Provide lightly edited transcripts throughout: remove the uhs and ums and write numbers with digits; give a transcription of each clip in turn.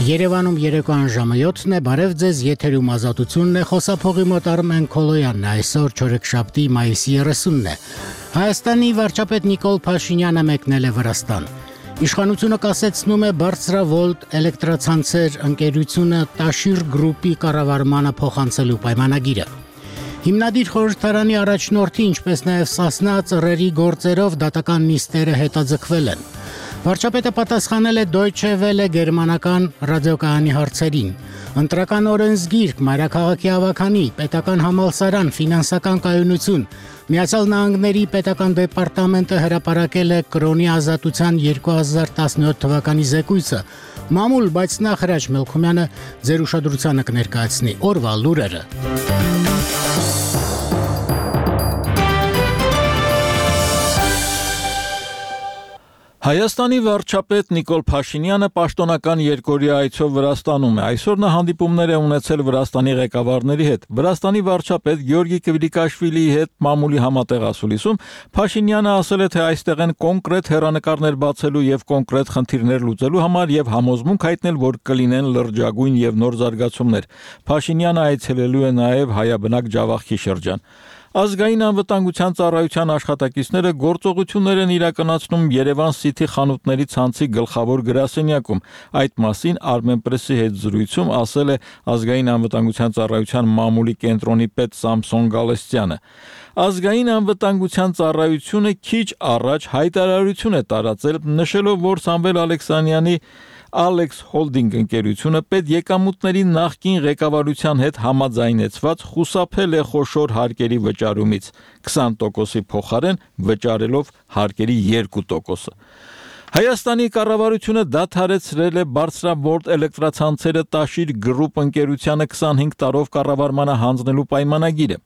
Երևանում երեկոյան ժամը 7-ն է, բարև ձեզ, եթերում ազատությունն է, խոսափողի մոտ Արմեն Քոլոյանն է, այսօր չորեքշաբթի մայիսի 30-ն է։ Հայաստանի վարչապետ Նիկոլ Փաշինյանը մեկնել է Վրաստան։ Իշխանությունը կասեցնում է բարձրավոլտ էլեկտրացանցեր ընկերությունը Տաշիր գրուպի կառավարմանը փոխանցելու պայմանագիրը։ Հիմնադիր խորհրդարանի առաջնորդի, ինչպես նաև Սասնա ծռերի գործերով դատական նիստերը հետաձգվել են։ Վարչապետը պատասխանել է Deutsche Welle գերմանական ռադիոկայանի հարցերին։ Ընտրական օրենսգիրք, մայրաքաղաքի ավագանի, պետական համալսարան, ֆինանսական կայունություն։ Միացյալ Նահանգների պետական դեպարտամենտը հրապարակել է կրոնի ազատության 2017 թվականի զեկույցը։ Մամուլ, բայց նախ Հրաչ Մելքումյանը ձեր ուշադրությանը կներկայացնի օրվա լուրերը։ Հայաստանի վարչապետ Նիկոլ Փաշինյանը պաշտոնական երկօրյա այցով Վրաստանում է։ Այսօր նա հանդիպումներ է ունեցել Վրաստանի ղեկավարների հետ։ Վրաստանի վարչապետ Գյորգի Կվիլիկաշվիլիի հետ մամուլի համատեղ ասուլիսում Փաշինյանը ասել է, թե այստեղ են կոնկրետ հեռանկարներ բացելու եւ կոնկրետ խնդիրներ լուծելու համար եւ համոզմունք հայտնել, որ կլինեն լրջագույն եւ նոր զարգացումներ։ Փաշինյանը այցելելու է նաեւ հայաբնակ Ջավախքի շրջան։ Ազգային անվտանգության ծառայության աշխատակիցները գործողություններ են իրականացնում Երևան City խանութների ցանցի գլխավոր գրասենյակում։ Այդ մասին Armenpress-ի հետ զրույցում ասել է Ազգային անվտանգության ծառայության մամուլի կենտրոնի պետ Սամսոն Գալստյանը։ Ազգային անվտանգության ծառայությունը քիչ առաջ հայտարարություն է տարածել, նշելով, որ Սամվել Ալեքսանյանի Alex Holding ընկերությունը պետեկամուտների նախկին ղեկավարության հետ համաձայնեցված խուսափել է խոշոր հարկերի վճարումից 20%-ի փոխարեն վճարելով հարկերի 2%-ը։ Հայաստանի կառավարությունը դադարեցրել է բարձրավոլտ էլեկտրացանցերը Տաշիր գրուպ ընկերությանը 25 տարով կառավարմանը հանձնելու պայմանագիրը։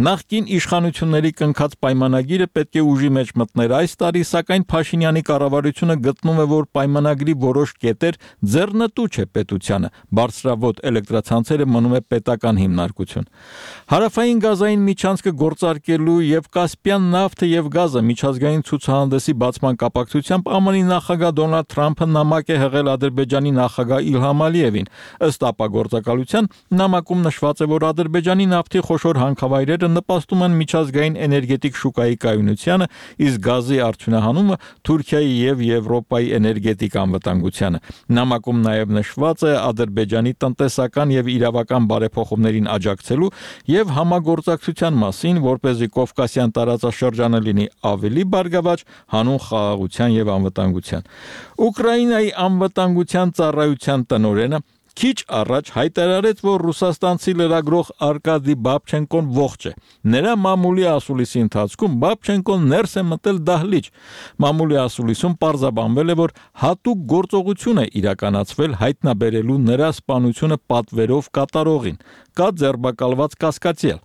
Նախկին իշխանությունների կնքած պայմանագիրը պետք է ուժի մեջ մտներ այս տարի, սակայն Փաշինյանի կառավարությունը գտնում է, որ պայմանագրի որոշ կետեր ձեռնտու չէ պետությանը, բարձրավոլտ էլեկտրացանցերը մնում է պետական հիմնարկություն։ Հարավային գազային միջանցքը գործարկելու եւ Կասպյան նավթը եւ գազը միջազգային ցուցահանդեսի բացման կապակցությամբ ԱՄՆ-ի նախագահ Դոնալդ Թրամփը նամակ է հղել Ադրբեջանի նախագահ Իլհամ Ալիևին։ Ըստ ապագործակալության նամակում նշված է, որ Ադրբեջանի նավթի խոշոր հանքավայրերը նպաստում են միջազգային էներգետիկ շուկայի կայունությանը, իսկ գազի արդյունահանումը Թուրքիայի եւ Եվրոպայի էներգետիկ անվտանգությանը։ Նամակում նաեւ նշված է Ադրբեջանի տնտեսական եւ իրավական բարեփոխումներին աջակցելու եւ համագործակցության մասին, որպեսզի Կովկասյան տարածաշրջանը լինի ավելի բարգավաճ հանուն խաղաղության եւ անվտանգության։ Ուկրաինայի անվտանգության ծառայության տնօրենը քիչ առաջ հայտարարեց, որ ռուսաստանցի լրագրող Արկադի Բաբչենկոն ողջ է։ Նրա մամուլի ասուլիսի ընթացքում Բաբչենկոն ներս է մտել դահլիճ։ Մամուլի ասուլիսում պարզաբանվել է, որ հատուկ գործողություն է իրականացվել հայտնաբերելու նրա սպանությունը պատվերով կատարողին։ Կա ձերբակալված կասկածյալ։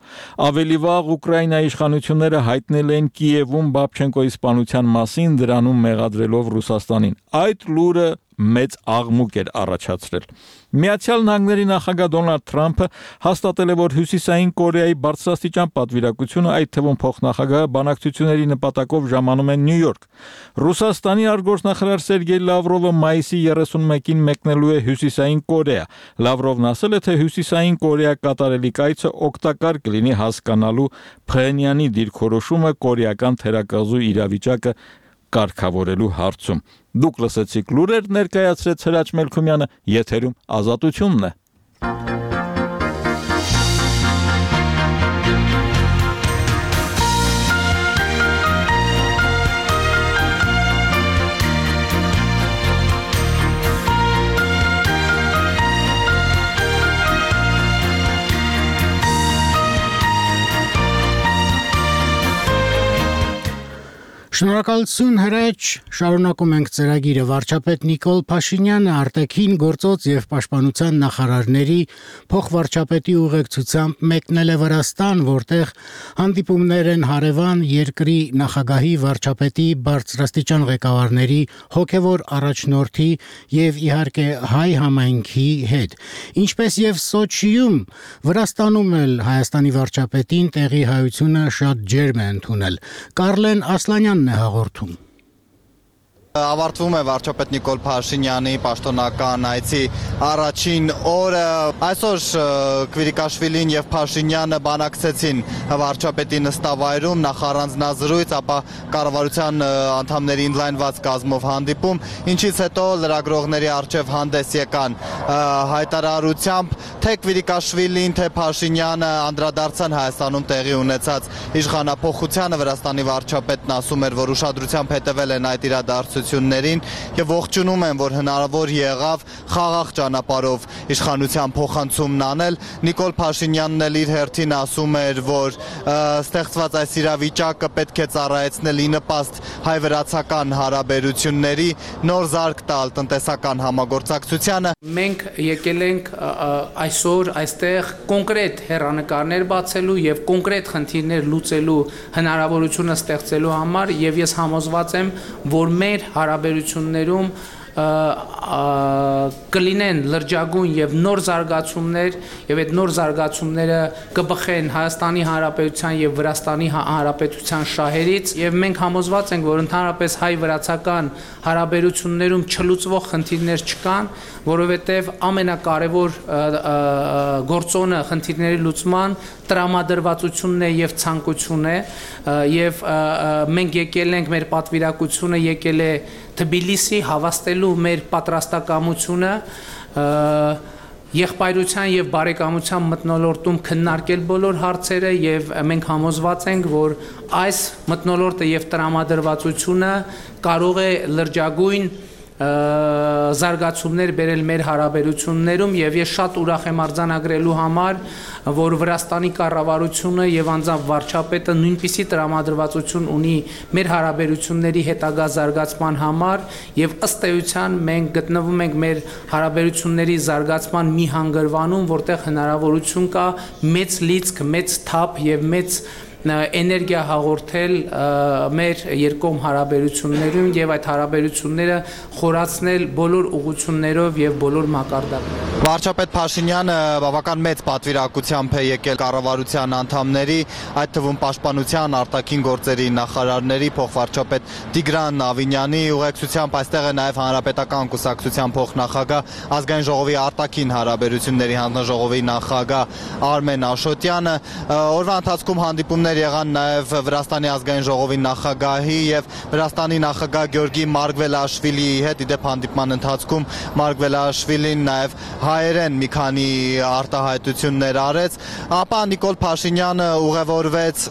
Ավելի վաղ Ուկրաինայի իշխանությունները հայտնել են Կիևում Բաբչենկոյի սպանության մասին, դրանում մեղադրելով Ռուսաստանին։ Այդ լուրը մեծ աղմուկ էր առաջացրել։ Միացյալ Նահանգների նախագահ Դոնալդ Թրամփը հաստատել է, որ Հյուսիսային Կորեայի բարձրաստիճան պատվիրակությունը, այդ թվում փոխնախագահը, բանակցությունների նպատակով ժամանում է Նյու Յորք։ Ռուսաստանի արտգործնախարար Սերգեյ Լավրովը մայիսի 31-ին մեկնելու է Հյուսիսային Կորեա։ Լավրովն ասել է, թե Հյուսիսային Կորեա կատարելիք այցը օգտակար կլինի հասկանալու Փխենյանի դիրքորոշումը կորեական թերակղզու իրավիճակը կարգավորելու հարցում։ Դուք լսեցիք լուրեր, ներկայացրեց Հրաչ Մելքումյանը, եթերում ազատությունն է։ Շնորհակալություն Հրաչ, շարունակում ենք ծրագիրը։ Վարչապետ Նիկոլ Փաշինյանը արտաքին գործոց եւ պաշտպանության նախարարների փոխվարչապետի ուղեկցությամբ մեկնել է Վրաստան, որտեղ հանդիպումներ են հարևան երկրի նախագահի, վարչապետի, բարձրաստիճան ղեկավարների, հոգեվոր առաջնորդի եւ իհարկե հայ համայնքի հետ։ Ինչպես եւ Սոչիում, Վրաստանում էլ Հայաստանի վարչապետին տեղի հայությունը շատ ջերմ է ընդունել։ Կարլեն Ասլանյանն է հաղորդում։ Ավարտվում է վարչապետ Նիկոլ Փաշինյանի պաշտոնական այցի առաջին օրը։ Այսօր Կվիրիկաշվիլին եւ Փաշինյանը բանակցեցին վարչապետի նստավայրում, նախ առանձնազրույց, ապա կառավարության անդամների ընդլայնված կազմով հանդիպում, ինչից հետո լրագրողների առջև հանդես եկան հայտարարությամբ, թե Կվիրիկաշվիլին, թե Փաշինյանը անդրադարձան Հայաստանում տեղի ունեցած իշխանափոխությանը։ Վրաստանի վարչապետն ասում էր, որ ուշադրությամբ հետևել են այդ իրադարձություններին եւ ողջունում են, որ հնարավոր եղավ խաղաղ ճանապարհով իշխանության փոխանցումն անել։ Նիկոլ Փաշինյանն էլ իր հերթին ասում էր, որ ստեղծված այս իրավիճակը պետք է ծառայեցնել ի նպաստ հայ-վրացական հարաբերությունների, նոր զարգ տալ տնտեսական համագործակցությանը։ Մենք եկել ենք այսօր այստեղ կոնկրետ հեռանկարներ բացելու եւ կոնկրետ խնդիրներ լուծելու հնարավորությունը ստեղծելու համար եւ ես համոզված եմ, որ մեր հարաբերություններում կլինեն լրջագույն եւ նոր զարգացումներ եւ այդ նոր զարգացումները կբխեն Հայաստանի Հանրապետության եւ Վրաստանի Հանրապետության շահերից եւ մենք համոզված ենք, որ ընդհանրապես հայ-վրացական հարաբերություններում չլուծվող խնդիրներ չկան, որովհետեւ ամենակարևոր գործոնը խնդիրների լուծման տրամադրվածությունն է եւ ցանկությունն է եւ մենք եկել ենք, մեր պատվիրակությունը եկել է Թբիլիսի հավաստելու մեր պատրաստակամությունը եղբայրության եւ բարեկամության մթնոլորտում քննարկել բոլոր հարցերը եւ մենք համոզված ենք, որ այս մթնոլորտը եւ տրամադրվածությունը կարող է լրջագույն զարգացումներ բերել մեր հարաբերություններում եւ ես շատ ուրախ եմ արձանագրելու համար, որ Վրաստանի կառավարությունը եւ անձամբ վարչապետը նույնպիսի տրամադրվածություն ունի մեր հարաբերությունների հետագա զարգացման համար եւ ըստ էության մենք գտնվում ենք մեր հարաբերությունների զարգացման մի հանգրվանում, որտեղ հնարավորություն կա մեծ լիցք, մեծ թափ եւ մեծ էներգիա հաղորդել մեր երկկողմ հարաբերություններում եւ այդ հարաբերությունները խորացնել բոլոր ուղղություններով եւ բոլոր մակարդակներով։ Վարչապետ Փաշինյանը բավական մեծ պատվիրակությամբ է եկել կառավարության անդամների, այդ թվում պաշտպանության, արտաքին գործերի նախարարների, փոխվարչապետ Տիգրան Ավինյանի ուղեկցությամբ այստեղ է նաեւ Հանրապետական կուսակցության փոխնախագահ, ազգային ժողովի արտաքին հարաբերությունների հանձնաժողովի նախագահ Արմեն Աշոտյանը։ Օրվա ընթացքում հանդիպումներ եղան նաև Վրաստանի ազգային ժողովի նախագահի եւ Վրաստանի նախագահ Գյորգի Մարգվելաշվիլիի հետ։ Իդեպ հանդիպման ընթացքում Մարգվելաշվիլին նաև հայերեն մի քանի արտահայտություններ արեց, ապա Նիկոլ Փաշինյանը ուղևորվեց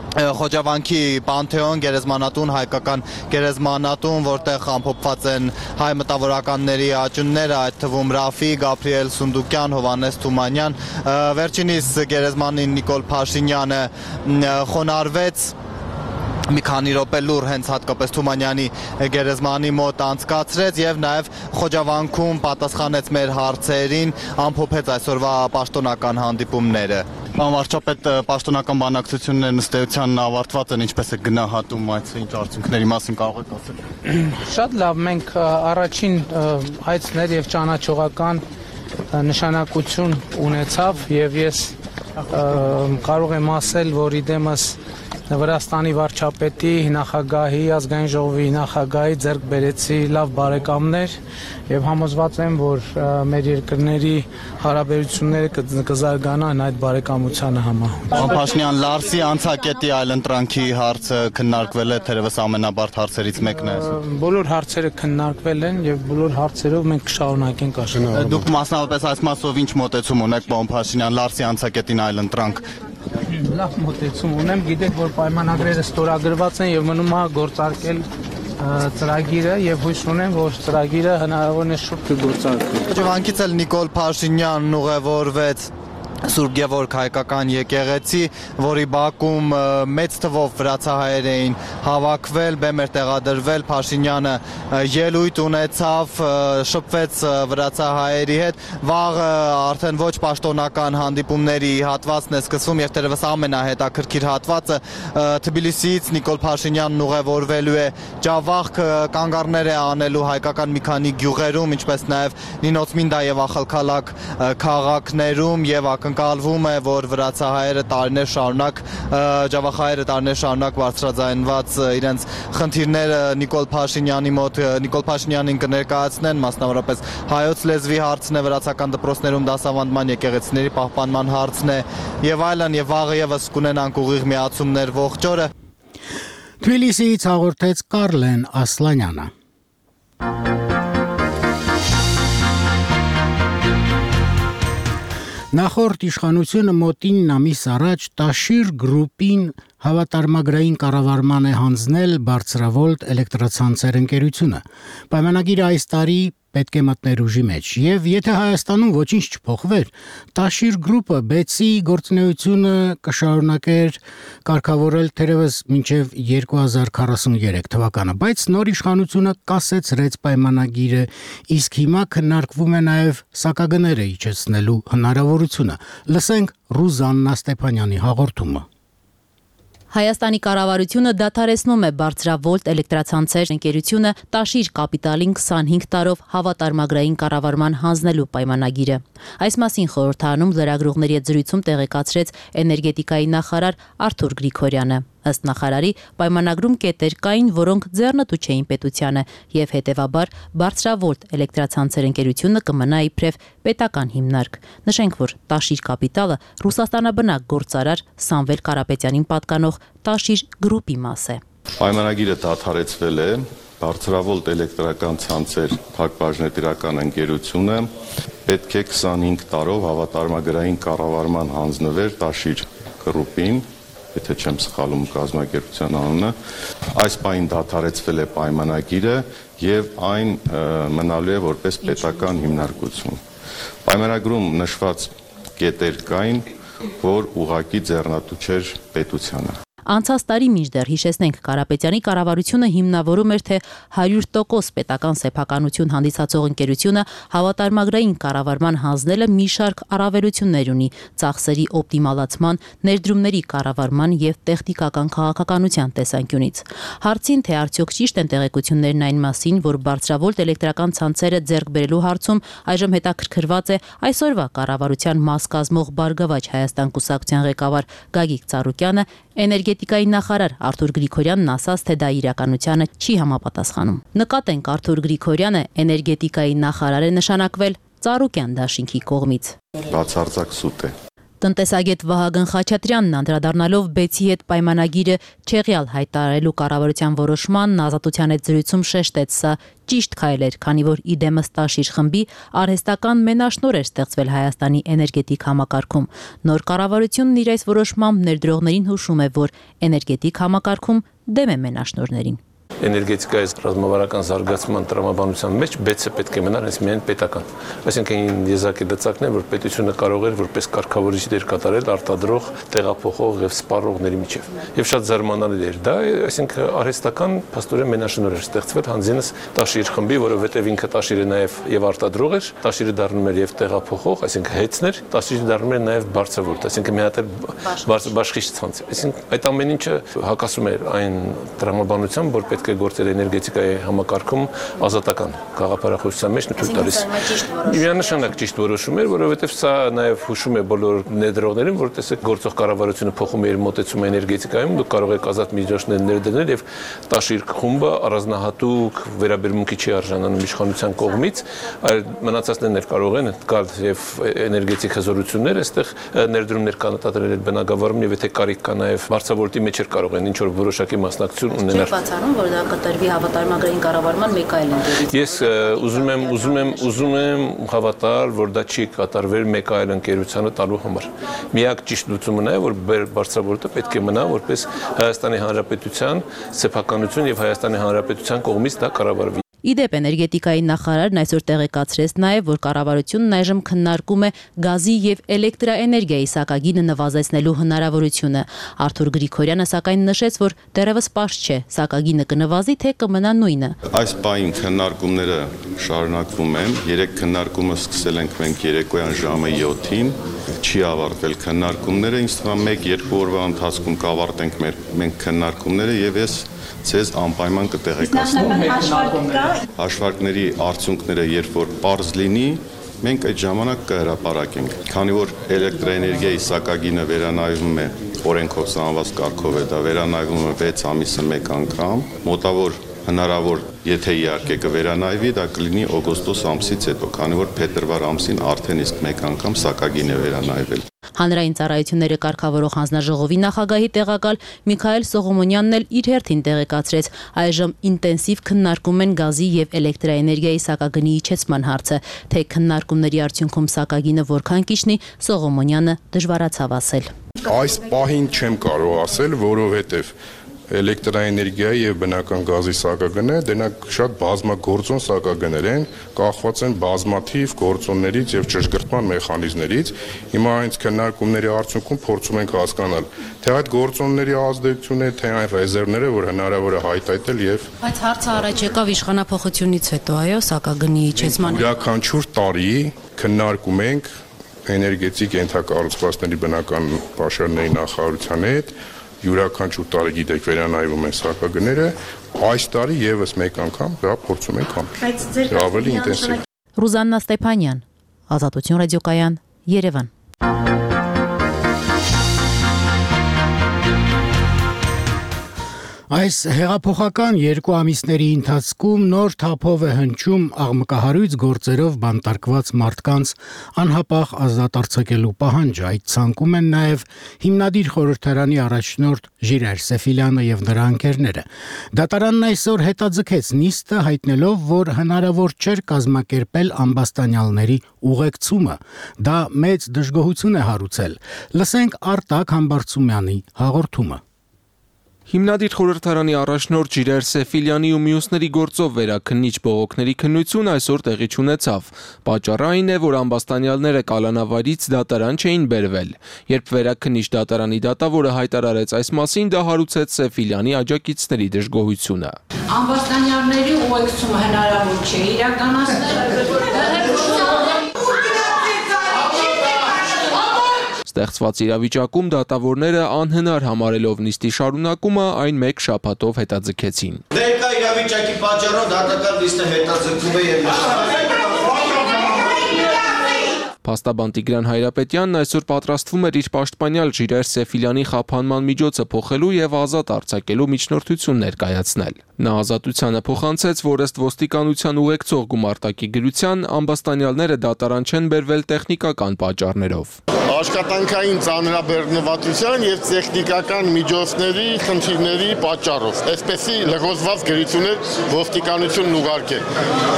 Խոջավանքի Պանթեոն գերեզմանատուն, հայկական գերեզմանատուն, որտեղ ամփոփված են հայ մտավորականների աճունները, այդ թվում Ռաֆի, Գաբրիել Սունդուկյան, Հովանես Թումանյան։ Վերջինիս գերեզմանին Նիկոլ Փաշինյանը խոնարհվեց մի քանի րոպե լուր հենց հատկապես Թումանյանի գերեզմանի մոտ անցկացրեց եւ նաեւ Խոջավանքում պատասխանեց մեր հարցերին, ամփոփեց այսօրվա պաշտոնական հանդիպումները։ Պարոն վարչապետ, պաշտոնական բանակցությունները ըստ էության ավարտված են, ինչպես է գնահատում այդ ինչ արդյունքների մասին կարող եք ասել։ Շատ լավ, մենք առաջին այցներ եւ ճանաչողական նշանակություն ունեցավ եւ ես կարող եմ ասել, որ իդեմս Վրաստանի վարչապետի, նախագահի, ազգային ժողովի նախագահի ձեռք բերեցի լավ բարեկամներ եւ համոզված եմ, որ մեր երկրների հարաբերությունները կզարգանան այդ բարեկամությանը համահունչ։ Պարոն Փաշինյան, Լարսի անցակետի այլընտրանքի հարցը քննարկվել է, թերևս ամենաբարդ հարցերից մեկն է։ Բոլոր հարցերը քննարկվել են եւ բոլոր հարցերով մենք կշարունակենք աշխատել։ Դուք մասնավորապես այս մասով ինչ մոտեցում ունեք, պարոն Փաշինյան, Լարսի անցակետին այլընտրանք։ Լավ մոտեցում ունեմ, գիտեք, որ պայմանագրերը ստորագրված են եւ մնում է գործարկել ծրագիրը եւ հույս ունեմ, որ ծրագիրը հնարավորինս շուտ կգործարկվի։ Խոջավանքից էլ Նիկոլ Փաշինյանն ուղևորվեց Սուրբ Գևորգ հայկական եկեղեցի, որի բակում մեծ թվով վրացահայեր էին հավաքվել, բեմ էր տեղադրվել, Փաշինյանը ելույթ ունեցավ, շփվեց վրացահայերի հետ, վաղը արդեն ոչ պաշտոնական հանդիպումների հատվածն է սկսվում եւ թերևս ամենահետաքրքիր հատվածը Թբիլիսիից Նիկոլ Փաշինյանն ուղևորվելու է Ջավախք, կանգառներ է անելու հայկական մի քանի գյուղերում, ինչպես նաեւ Նինոցմինդա եւ Ախալքալակ քաղաքներում եւ ակնկալվում է, որ վրացահայերը տարիներ շարունակ բարձրաձայնված իրենց խնդիրները Նիկոլ Փաշինյանի մոտ Նիկոլ Փաշինյանին կներկայացնեն, մասնավորապես հայոց լեզվի հարցն է, վրացական դպրոցներում դասավանդման, եկեղեցիների պահպանման հարցն է եւ այլն, եւ վաղը եւս կունենանք ուղիղ միացումներ ողջ օրը։ Թբիլիսիից հաղորդեց Կարլեն Ասլանյանը։ Նախորդ իշխանությունը մոտ 9 ամիս առաջ Տաշիր գրուպին հավատարմագրային կառավարման է հանձնել բարձրավոլտ էլեկտրացանցեր ընկերությունը։ Պայմանագիրը այս տարի պետք է մտներ ուժի մեջ, եւ եթե Հայաստանում ոչինչ չփոխվեր, Տաշիր գրուպը բեցի գործունեությունը կշարունակեր կարգավորել թերևս մինչև 2043 թվականը, բայց նոր իշխանությունը կասեցրեց պայմանագիրը, իսկ հիմա քննարկվում է նաեւ սակագները իջեցնելու հնարավորությունը։ Լսենք Ռուզաննա Ստեփանյանի հաղորդումը։ Հայաստանի կառավարությունը դադարեցնում է բարձրավոլտ էլեկտրացանցեր ընկերությունը Տաշիր կապիտալին 25 տարով հավատարմագրային կառավարման հանձնելու պայմանագիրը։ Այս մասին խորհրդարանում լրագրողների հետ զրույցում տեղեկացրեց էներգետիկայի նախարար Արթուր Գրիգորյանը։ Ըստ նախարարի, պայմանագրում կետեր կային, որոնք ձեռնտու չէին պետությանը, եւ հետեւաբար բարձրավոլտ էլեկտրացանցեր ընկերությունը կմնա իբրև պետական հիմնարկ։ Նշենք, որ Տաշիր կապիտալը Ռուսաստանաբնակ գործարար Սամվել Կարապետյանին պատկանող Տաշիր գրուպի մաս է։ Պայմանագիրը դադարեցվել է, բարձրավոլտ էլեկտրական ցանցեր փակbaşնետիրական ընկերությունը պետք է 25 տարով հավատարմագրային կառավարման հանձնվեր Տաշիր գրուպին, եթե չեմ սխալում կազմակերպության անունը, այս պահին դադարեցվել է պայմանագիրը եւ այն մնալու է որպես պետական հիմնարկություն։ Պայմանագրում նշված կետեր կային, որ ուղղակի ձեռնատու չէր պետությանը։ Անցած տարի մինչդեռ հիշեցնենք Կարապետյանի կառավարությունը հիմնավորում էր, թե 100% պետական սեփականություն հանդիսացող ընկերությունը հավատարմագրային կառավարման հանձնելը մի շարք առավելություններ ունի ծախսերի օպտիմալացման, ներդրումների կառավարման եւ տեխնիկական քաղաքականության տեսանկյունից։ Հարցին, թե արդյոք ճիշտ են տեղեկություններն այն մասին, որ բարձրավոլտ էլեկտրական ցանցերը ձեռք բերելու հարցում այժմ հետաքրքրված է այսօրվա կառավարության մաս կազմող Բարգավաճ Հայաստան կուսակցության ղեկավար Գագիկ Ծառուկյանը, էներգետիկայի նախարար Արթուր Գրիգորյանն ասաց, թե դա իրականությանը չի համապատասխանում։ Նկատենք Արթուր Գրիգորյանը էներգետիկայի նախարար է նշանակվել Ծառուկյան դաշինքի կողմից։ Բացարձակ սուտ է։ Տնտեսագետ Վահագն Խաչատրյանն անդրադառնալով բեցի հետ պայմանագիրը չեղյալ հայտարարելու կառավարության որոշմանն ազատության հետ զրույցում շեշտեց, սա ճիշտ քայլ էր, քանի որ իդեմս Տաշիր խմբի արհեստական մենաշնոր էր ստեղծվել Հայաստանի էներգետիկ համակարգում։ Նոր կառավարությունն իր այս որոշմամբ ներդրողներին հուշում է, որ էներգետիկ համակարգում դեմ է մենաշնորհներին։ Էներգետիկայի ռազմավարական զարգացման տրամաբանության մեջ բեցը պետք է մնար հենց միայն պետական։ Այսինքն եզակի դծակն է, որ պետությունը կարող էր որպես կարգավորիչ դեր կատարել արտադրող, տեղափոխող եւ սպառողների միջև։ Եվ շատ զարմանալի էր դա, այսինքն արհեստական փաստորեն մենաշնորհ էր ստեղծվել հանձինս Տաշիր խմբի, որովհետեւ ինքը Տաշիրը նաեւ արտադրող էր, Տաշիրը դառնում էր եւ տեղափոխող, այսինքն հեծներ, Տաշիրը դառնում էր նաեւ բարձրավոլտ, այսինքն մի հատ բաշխիչ ցանց։ Այսինքն այդ ամեն ինչը հակասում էր այն տրամաբանության, որ պետք է գործել էներգետիկայի համակարգում ազատական գաղափարախոսության մեջ թույլ տալիս։ Միանշանակ ճիշտ որոշում էր, որովհետև սա նաև հուշում է բոլոր ներդրողներին, որ տեսեք գործող կառավարությունը փոխում է իր մոտեցումը էներգետիկայում, դուք կարող եք ազատ միջոցներ ներդնել եւ Տաշիր խումբը առանձնահատուկ վերաբերմունքի չի արժանանում իշխանության կողմից, այլ մնացածներն էլ կարող են գալ եւ էներգետիկ հզորություններ այստեղ ներդրումներ կանտադրել բնակավարում եւ եթե կարիք կա նաև բարձրավոլտի մեջ կարող են ինչ որ որոշակի մասնակցություն ունենալ։ Կտրվի հավատարմագրային կառավարման մեկ այլ ընկերություն։ Ես ուզում եմ հավատալ, որ դա չի կատարվել մեկ այլ ընկերությանը տալու համար։ Միակ ճիշտ լուծումը նա է, որ բարձրավոլտը պետք է մնա որպես Հայաստանի Հանրապետության սեփականություն եւ Հայաստանի Հանրապետության կողմից դա կառավարվի։ Իդեպ էներգետիկայի նախարարն այսօր տեղեկացրեց նաև, որ կառավարությունն այժմ քննարկում է գազի եւ էլեկտրաէներգիայի սակագինը նվազեցնելու հնարավորությունը։ Արթուր Գրիգորյանը սակայն նշեց, որ դեռևս պարզ չէ, սակագինը կնվազի, թե կմնա նույնը։ Այս պահին քննարկումները շարունակվում են։ Երեք քննարկումը սկսել ենք մենք երեկոյան ժամը 7-ին, չի ավարտվել քննարկումները, ինձ թվում է 1-2 օրվա ընթացքում կավարտենք մենք քննարկումները եւ ես ցեզ անպայման կտեղեկացնեմ։ Հաշվարկների արդյունքները երբ որ պարզ լինի, մենք այդ ժամանակ կհրապարակենք, քանի որ էլեկտրոէներգիայի սակագինը վերանայվում է օրենքով սահմանված կարգով է, դա վերանայվում է 6 ամիսը մեկ անգամ, մոտավոր հնարավոր, եթե իհարկե կվերանայվի, դա կլինի օգոստոս ամսից հետո, քանի որ փետրվար ամսին արդեն իսկ մեկ անգամ սակագին է վերանայվել։ Հանրային ծառայությունները կարգավորող հանձնաժողովի նախագահի տեղակալ Միքայել Սողոմոնյանն էլ իր հերթին տեղեկացրեց, այժմ ինտենսիվ քննարկում են գազի եւ էլեկտրաէներգիայի սակագնի իջեցման հարցը, թե քննարկումների արդյունքում սակագինը որքան կիջնի, Սողոմոնյանը դժվարացավ ասել։ Այս պահին չեմ կարող ասել, որովհետեւ էլեկտրաէներգիայի եւ բնական գազի սակագները դրանք շատ բազմագործոն սակագներ են, կախված են բազմաթիվ գործոններից եւ ճշգրտման մեխանիզմներից։ Հիմա այս քննարկումների արդյունքում փորձում ենք հասկանալ, թե այդ գործոնների ազդեցությունը, թե այն ռեզերվները, որ հնարավոր է հայտարարել եւ Բայց հարցը առաջ եկավ իշխանափոխությունից հետո, այո, սակագնի իջեցման։ Յուրաքանչյուր տարի քննարկում ենք էներգետիկ ենթակառուցվածքների բնական պաշարների նախարարության հետ յուրաքանչյուր տարի գիտեք վերանայվում են սակագները, այս տարի եւս մեկ անգամ դա փորձում ենք անել։ Ավելի ինտենսիվ։ Ռուզաննա Ստեփանյան, Ազատություն ռադիոկայան, Երևան։ Այս հեղափոխական 2 ամիսների ընթացքում նոր թափով է հնչում աղմկահարույց գործերով բանտարկված մարդկանց անհապաղ ազատ արձակելու պահանջը։ Այդ ցանկում են նաև հիմնադիր խորհրդարանի առաջնորդ Ժիրայր Սեֆիլյանը եւ նրա ընկերները։ Դատարանն այսօր հետաձգեց նիստը, հայտնելով, որ հնարավոր չէր կազմակերպել ամբաստանյալների ուղեկցումը։ Դա մեծ դժգոհություն է հարուցել։ Լսենք Արտակ Համբարձումյանի հաղորդումը։ Հիմնադիր խորհրդարանի առաջնորդ Ժիրայր Սեֆիլյանի ու մյուսների գործով վերաքննիչ բողոքների քննություն այսօր տեղի չունեցավ։ Պատճառը այն է, որ ամբաստանյալները կալանավայրից դատարան չէին բերվել։ Երբ վերաքննիչ դատարանի դատավորը հայտարարեց այս մասին, դա հարուցեց Սեֆիլյանի աջակիցների դժգոհությունը։ Ամբաստանյալների ուղեկցումը հնարավոր չէ իրականացնել։ Ստեղծված իրավիճակում դատավորները անհնար համարելով նիստի շարունակումը այն մեկ շաբաթով հետաձգեցին։ Ներկա իրավիճակի պատճառով դատական նիստը հետաձգվում է եւ Փաստաբան Տիգրան Հայրապետյանն այսօր պատրաստվում էր իր պաշտպանյալ Ժիրայր Սեֆիլյանի խափանման միջոցը փոխելու եւ ազատ արձակելու միջնորդություն ներկայացնել։ Նա ազատությանը փոխանցեց, որ ըստ ոստիկանության ուղեկցող գումարտակի գրության ամբաստանյալները դատարան չեն բերվել տեխնիկական պատճառներով։ Աշխատանքային ծանրաբեռնվածության եւ տեխնիկական միջոցների խնդիրների պատճառով։ Այսպեսի լղոզված գրություններ ոստիկանությունն ուղարկել։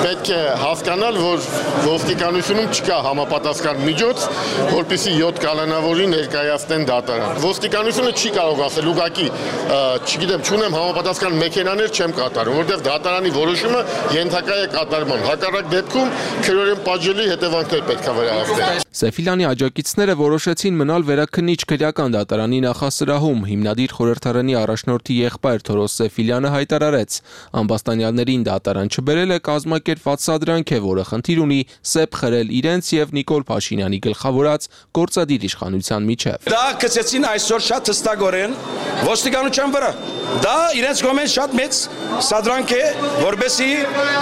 Պետք է հասկանալ, որ ոստիկանությունում չկա համապատասխան միջոց, որպեսզի 7 կալանավորի ներկայացնեն դատարան։ Ոստիկանությունը չի կարող ասել ուղղակի, չգիտեմ, չունեմ համապատասխան մեքենաներ չեմ կատարում, որտեղ դատարանի որոշումը ենթակա է կատարման։ Հակառակ դեպքում քրորեն պատժելի հետևանքներ պետք է վերահսկեն։ Սեֆիլյանի աջակիցները որոշեցին մնալ վերաքննիչ քրեական դատարանի նախասրահում։ Հիմնադիր խորհրդարանի առաջնորդի եղբայր Թորոս Սեֆիլյանը հայտարարեց. ամբաստանյալներին դատարան չբերելը կազմակերպված սադրանք է, որը խնդիր ունի սեպ խրել իրենց եւ Նիկոլ Փաշինյանի գլխավորած գործադիր իշխանության միջև։ Դա կցեցին այսօր շատ հստակորեն ոստիկանության վրա։ Դա իրենց կողմից շատ մեծ սադրանք է, որբեսի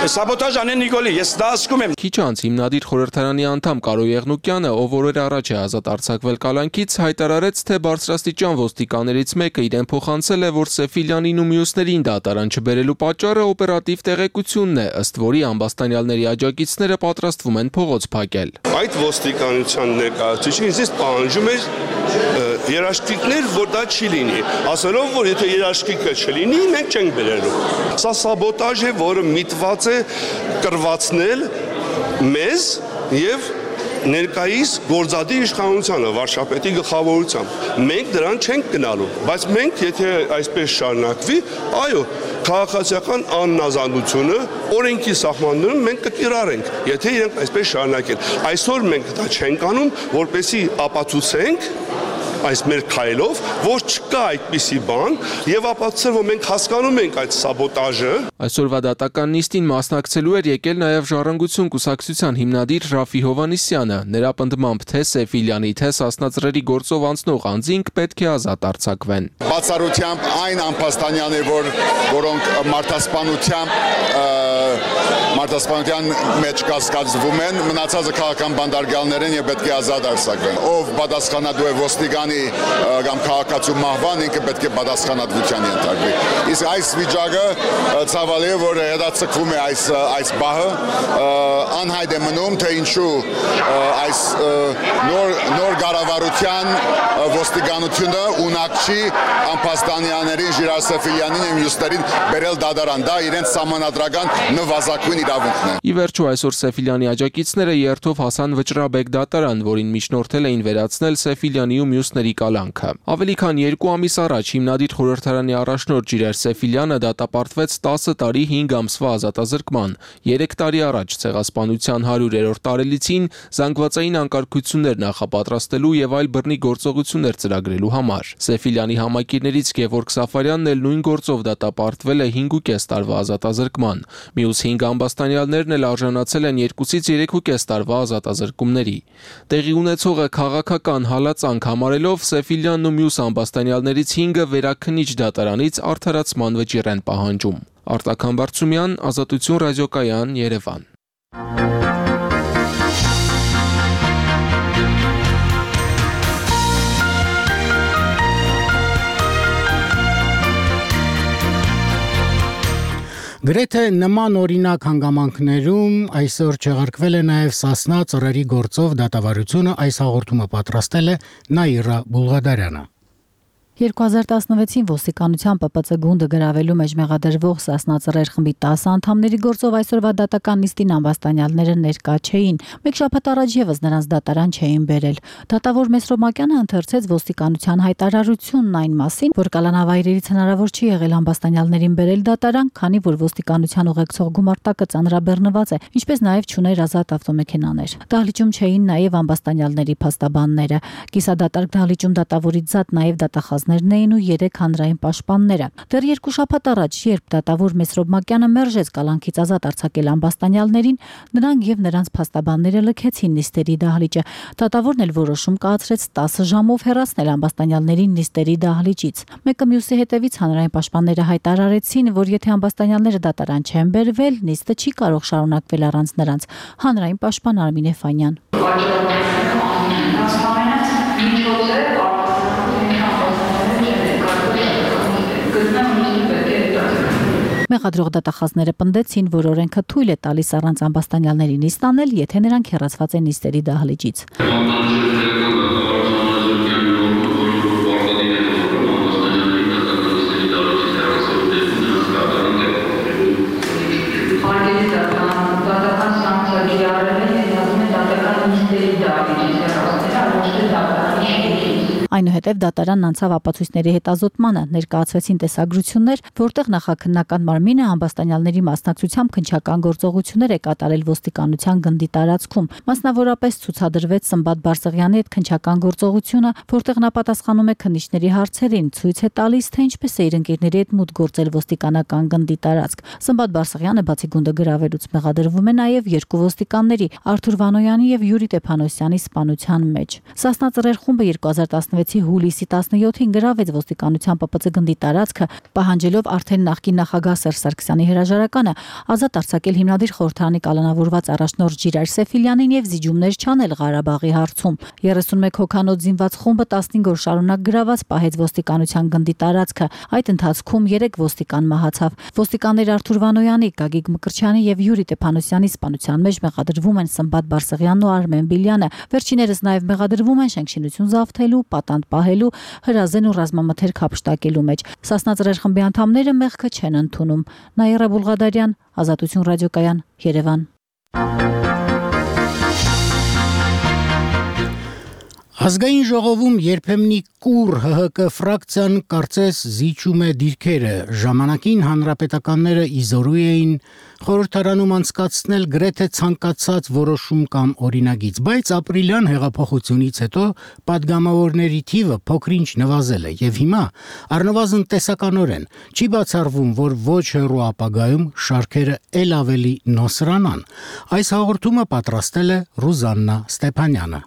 սաբոտաժ անեն Նիկոլի։ Ես դա ասում եմ։ Քիչ անց հիմնադիր խորհրդարանի անդամ Կարո Եղնուկյանը, ով օրեր առաջ է ազատ արձակվել կալանքից, հայտարարեց, թե բարձրաստիճան ոստիկաններից մեկը իրեն փոխանցել է, որ Սեֆիլյանին ու մյուսներին դատարան չբերելու պատճառը օպերատիվ տեղեկությունն է, ըստ որի ամբաստանյալների աջակիցները պատրաստվում են փողոց փակել։ Այդ ոստիկանության ներկայացուցիչը ինձ պահանջում էր երաշխիքներ, որ դա չի լինի, ասելով, որ եթե երաշխիքը չլինի, մենք չենք բերելու։ Սա սաբոտաժ է, որը միտված է կրվածնել մեզ եւ ներկայիս գործադիր իշխանությանը վարչապետի գլխավորությամբ։ Մենք դրան չենք գնալու, բայց մենք եթե այսպես շարունակվի, այո, քաղաքացիական աննազանությունը օրենքի սահմաններում մենք կկիրառենք, եթե իրենք այսպես շարունակեն։ Այսօր մենք դա չենք անում, որպեսզի ապացուցենք այս մեր քայլով, որ չկա այդպիսի բան եւ ապացուցել, որ մենք հասկանում ենք այդ սաբոտաժը։ Այսօրվա դատական նիստին մասնակցելու էր եկել նաեւ Ժառանգություն կուսակցության հիմնադիր Ռաֆի Հովհաննիսյանը։ Նրա պնդմամբ թե Սեֆիլյանի, թե Սասնա-Ծռերի գործով անցնող անձինք պետք է ազատ արձակվեն։ Բացառությամբ այն ամբաստանյաներ, որոնք մարդասպանությամբ մարտահրավերության մեջ կասկածվում են, մնացածը քաղաքական բանդարգալներ են եւ պետք է ազատ արձակվեն։ Ով պատասխանատու է ոստիկանի կամ քաղաքացու մահվան, ինքը պետք է պատասխանատվության ենթարկվի։ Իսկ այս վիճակը ցավալի է, որ հետաձգվում է այս բահը, անհայտ է մնում, թե ինչու այս նոր կառավարության ոստիկանությունը ունակ չի Ամբաստանյաններին, Ժիրայր Սեֆիլյանին եւ մյուսներին բերել դատարան, դա իրենց սահմանադրական նվազագույն իրավունքն է։ Ի վերջո այսօր Սեֆիլյանի աջակիցները երթով հասան Վճռաբեկ դատարան, որին միջնորդել էին վերացնել Սեֆիլյանի ու մյուսների կալանքը։ Ավելի քան 2 ամիս առաջ հիմնադիր խորհրդարանի առաջնորդ Ժիրայր Սեֆիլյանը դատապարտվեց 10 տարի 5 ամսվա ազատազրկման։ 3 տարի առաջ ցեղասպանության 100-րդ տարելիցին զանգվածային անկարգություններ նախապատրաստելու եւ այլ բռնի գործողություններ ծրագրելու համար։ Սեֆիլյանի համակիրներից Գևորգ Սաֆարյանն էլ նույն գործով դատապարտվել է 5.5 տարվա ազատազրկման։ Մյուս 5 ամբաստանյալներն էլ արժանացել են 2-ից 3.5 տարվա ազատազրկումների։ Տեղի ունեցողը քաղաքական հալածանք համարելով Սեֆիլյանն ու մյուս ամբաստանյալներից 5-ը վերաքննիչ դատարանից արդարացման վճիռ են պահանջում։ Արտական Բարծումյան, Ազատություն ռադիոկայան, Երևան։ Գրեթե նման օրինակ հանգամանքներում այսօր չեղարկվել է նաև Սասնա ծռերի գործով դատավարությունը, այս հաղորդումը պատրաստել է Նաիրա Բուլղադարյանը։ 2016-ին ոստիկանության ՊՊՑ գունդը գրավելու մեջ մեղադրվող Սասնա ծռեր խմբի 10 անդամների գործով այսօրվա դատական նիստին ամբաստանյալները ներկա չէին։ Մեկ շաբաթ առաջ եւս նրանց դատարան չէին բերել։ Դատավոր Մեսրոմակյանը ընթերցեց ոստիկանության հայտարարությունն այն մասին, որ կալանավայրերից հնարավոր չի եղել ամբաստանյալներին բերել դատարան, քանի որ ոստիկանության ուղեկցող գումարտակը ծանրաբեռնված է, ինչպես նաև չուներ ազատ ավտոմեքենաներ։ Դահլիճում չէին նաև ամբաստանյալների փաստաբանները։ Կիսադատարկ դահլիճում դատավորից զատ նաև դատախազներն էին ու 3 հանրային պաշտպանները։ Դեռ 2 շաբաթ առաջ, երբ դատավոր Մեսրոմակյանը մերժեց կալանքից ազատ արձակել ամբաստանյալներին, նրանք եւ նրանց փաստաբանները լքեցին նիստերի դահլիճը։ Դատավորն էլ որոշում կայացրեց 10 ժամով հեռացնել ամբաստանյալներին նիստերի դահլիճից։ Մեկը մյուսի հետևից հանրային պաշտպանները հայտարարեցին, որ եթե ամբաստանյալները դատարան չեն բերվել, նիստը չի կարող շարունակվել առանց նրանց։ Հանրային պաշտպան Արմին Էֆանյան։ Մեղադրող դատախազները պնդեցին, որ օրենքը թույլ է տալիս առանց ամբաստանյալների նիստ անել, եթե նրանք հեռացված են նիստերի դահլիճից։ Այնուհետև դատարանն անցավ ապացույցների հետազոտմանը, ներկայացվեցին տեսագրություններ, որտեղ նախաքննական մարմինը ամբաստանյալների մասնակցությամբ քննչական գործողություններ է կատարել ոստիկանության գնդի տարածքում։ Մասնավորապես ցուցադրվեց Սմբատ Բարսեղյանի հետ քննչական գործողությունը, որտեղ նա պատասխանում է քննիչների հարցերին, ցույց է տալիս, թե ինչպես է իր ընկերների հետ մուտք գործել ոստիկանական գնդի տարածք։ Սմբատ Բարսեղյանը բացի գունդը գրավելուց մեղադրվում է նաև 2 ոստիկանների՝ Արթուր Վանոյանի եւ Յուրի Տեփանոսյանի սպանության մեջ։ Սասնա ծռեր խումբը 2016-ի հուլիսի 17-ին գրավեց ոստիկանության ՊՊՑ գնդի տարածքը, պահանջելով արդեն նախկին նախագահ Սերժ Սարգսյանի հրաժարականը ազատ արձակել հիմնադիր խորհրդարանի կալանավորված առաջնորդ Ժիրայր Սեֆիլյանին եւ զիջումներ չանել Ղարաբաղի հարցում։ 31 հոգանոց զինված խումբը 15 օր շարունակ գրաված պահեց ոստիկանության գնդի տարածքը։ Այդ ընթացքում 3 ոստիկան մահացավ։ Ոստիկաններ Արթուր Վանոյանի, Գագիկ Մկրտչյանի եւ Յուրի Տեփանոսյանի սպանության մեջ մեղադրվում են Սմբատ Բարսեղյանն ու Արմեն Բիլյանը։ Վերջիներս նաև մեղադրվում են շենքշինություն զավթելու, պատանդ պահելու, հրազեն ու ռազմամթերք հափշտակելու մեջ։ Սասնա ծռեր խմբի անդամները մեղքը չեն ընդունում։ Նաիրա Բուլղադարյան, Ազատություն ռադիոկայան, Երևան։ Ազգային ժողովում երբեմնի կուր ՀՀԿ ֆրակցիան կարծես զիջում է դիրքերը, ժամանակին հանրապետականները իզորու էին խորհրդարանում անցկացնել գրեթե ցանկացած որոշում կամ օրինագիծ, բայց ապրիլյան հեղափոխությունից հետո падգամավորների թիվը փոքրինչ նվազել է եւ հիմա առնվազն տեսականորեն չի բացառվում, որ ոչ հեռու ապագայում շարքերը ել ավելի նոսրանան։ Այս հաղորդումը պատրաստել է Ռուզաննա Ստեփանյանը։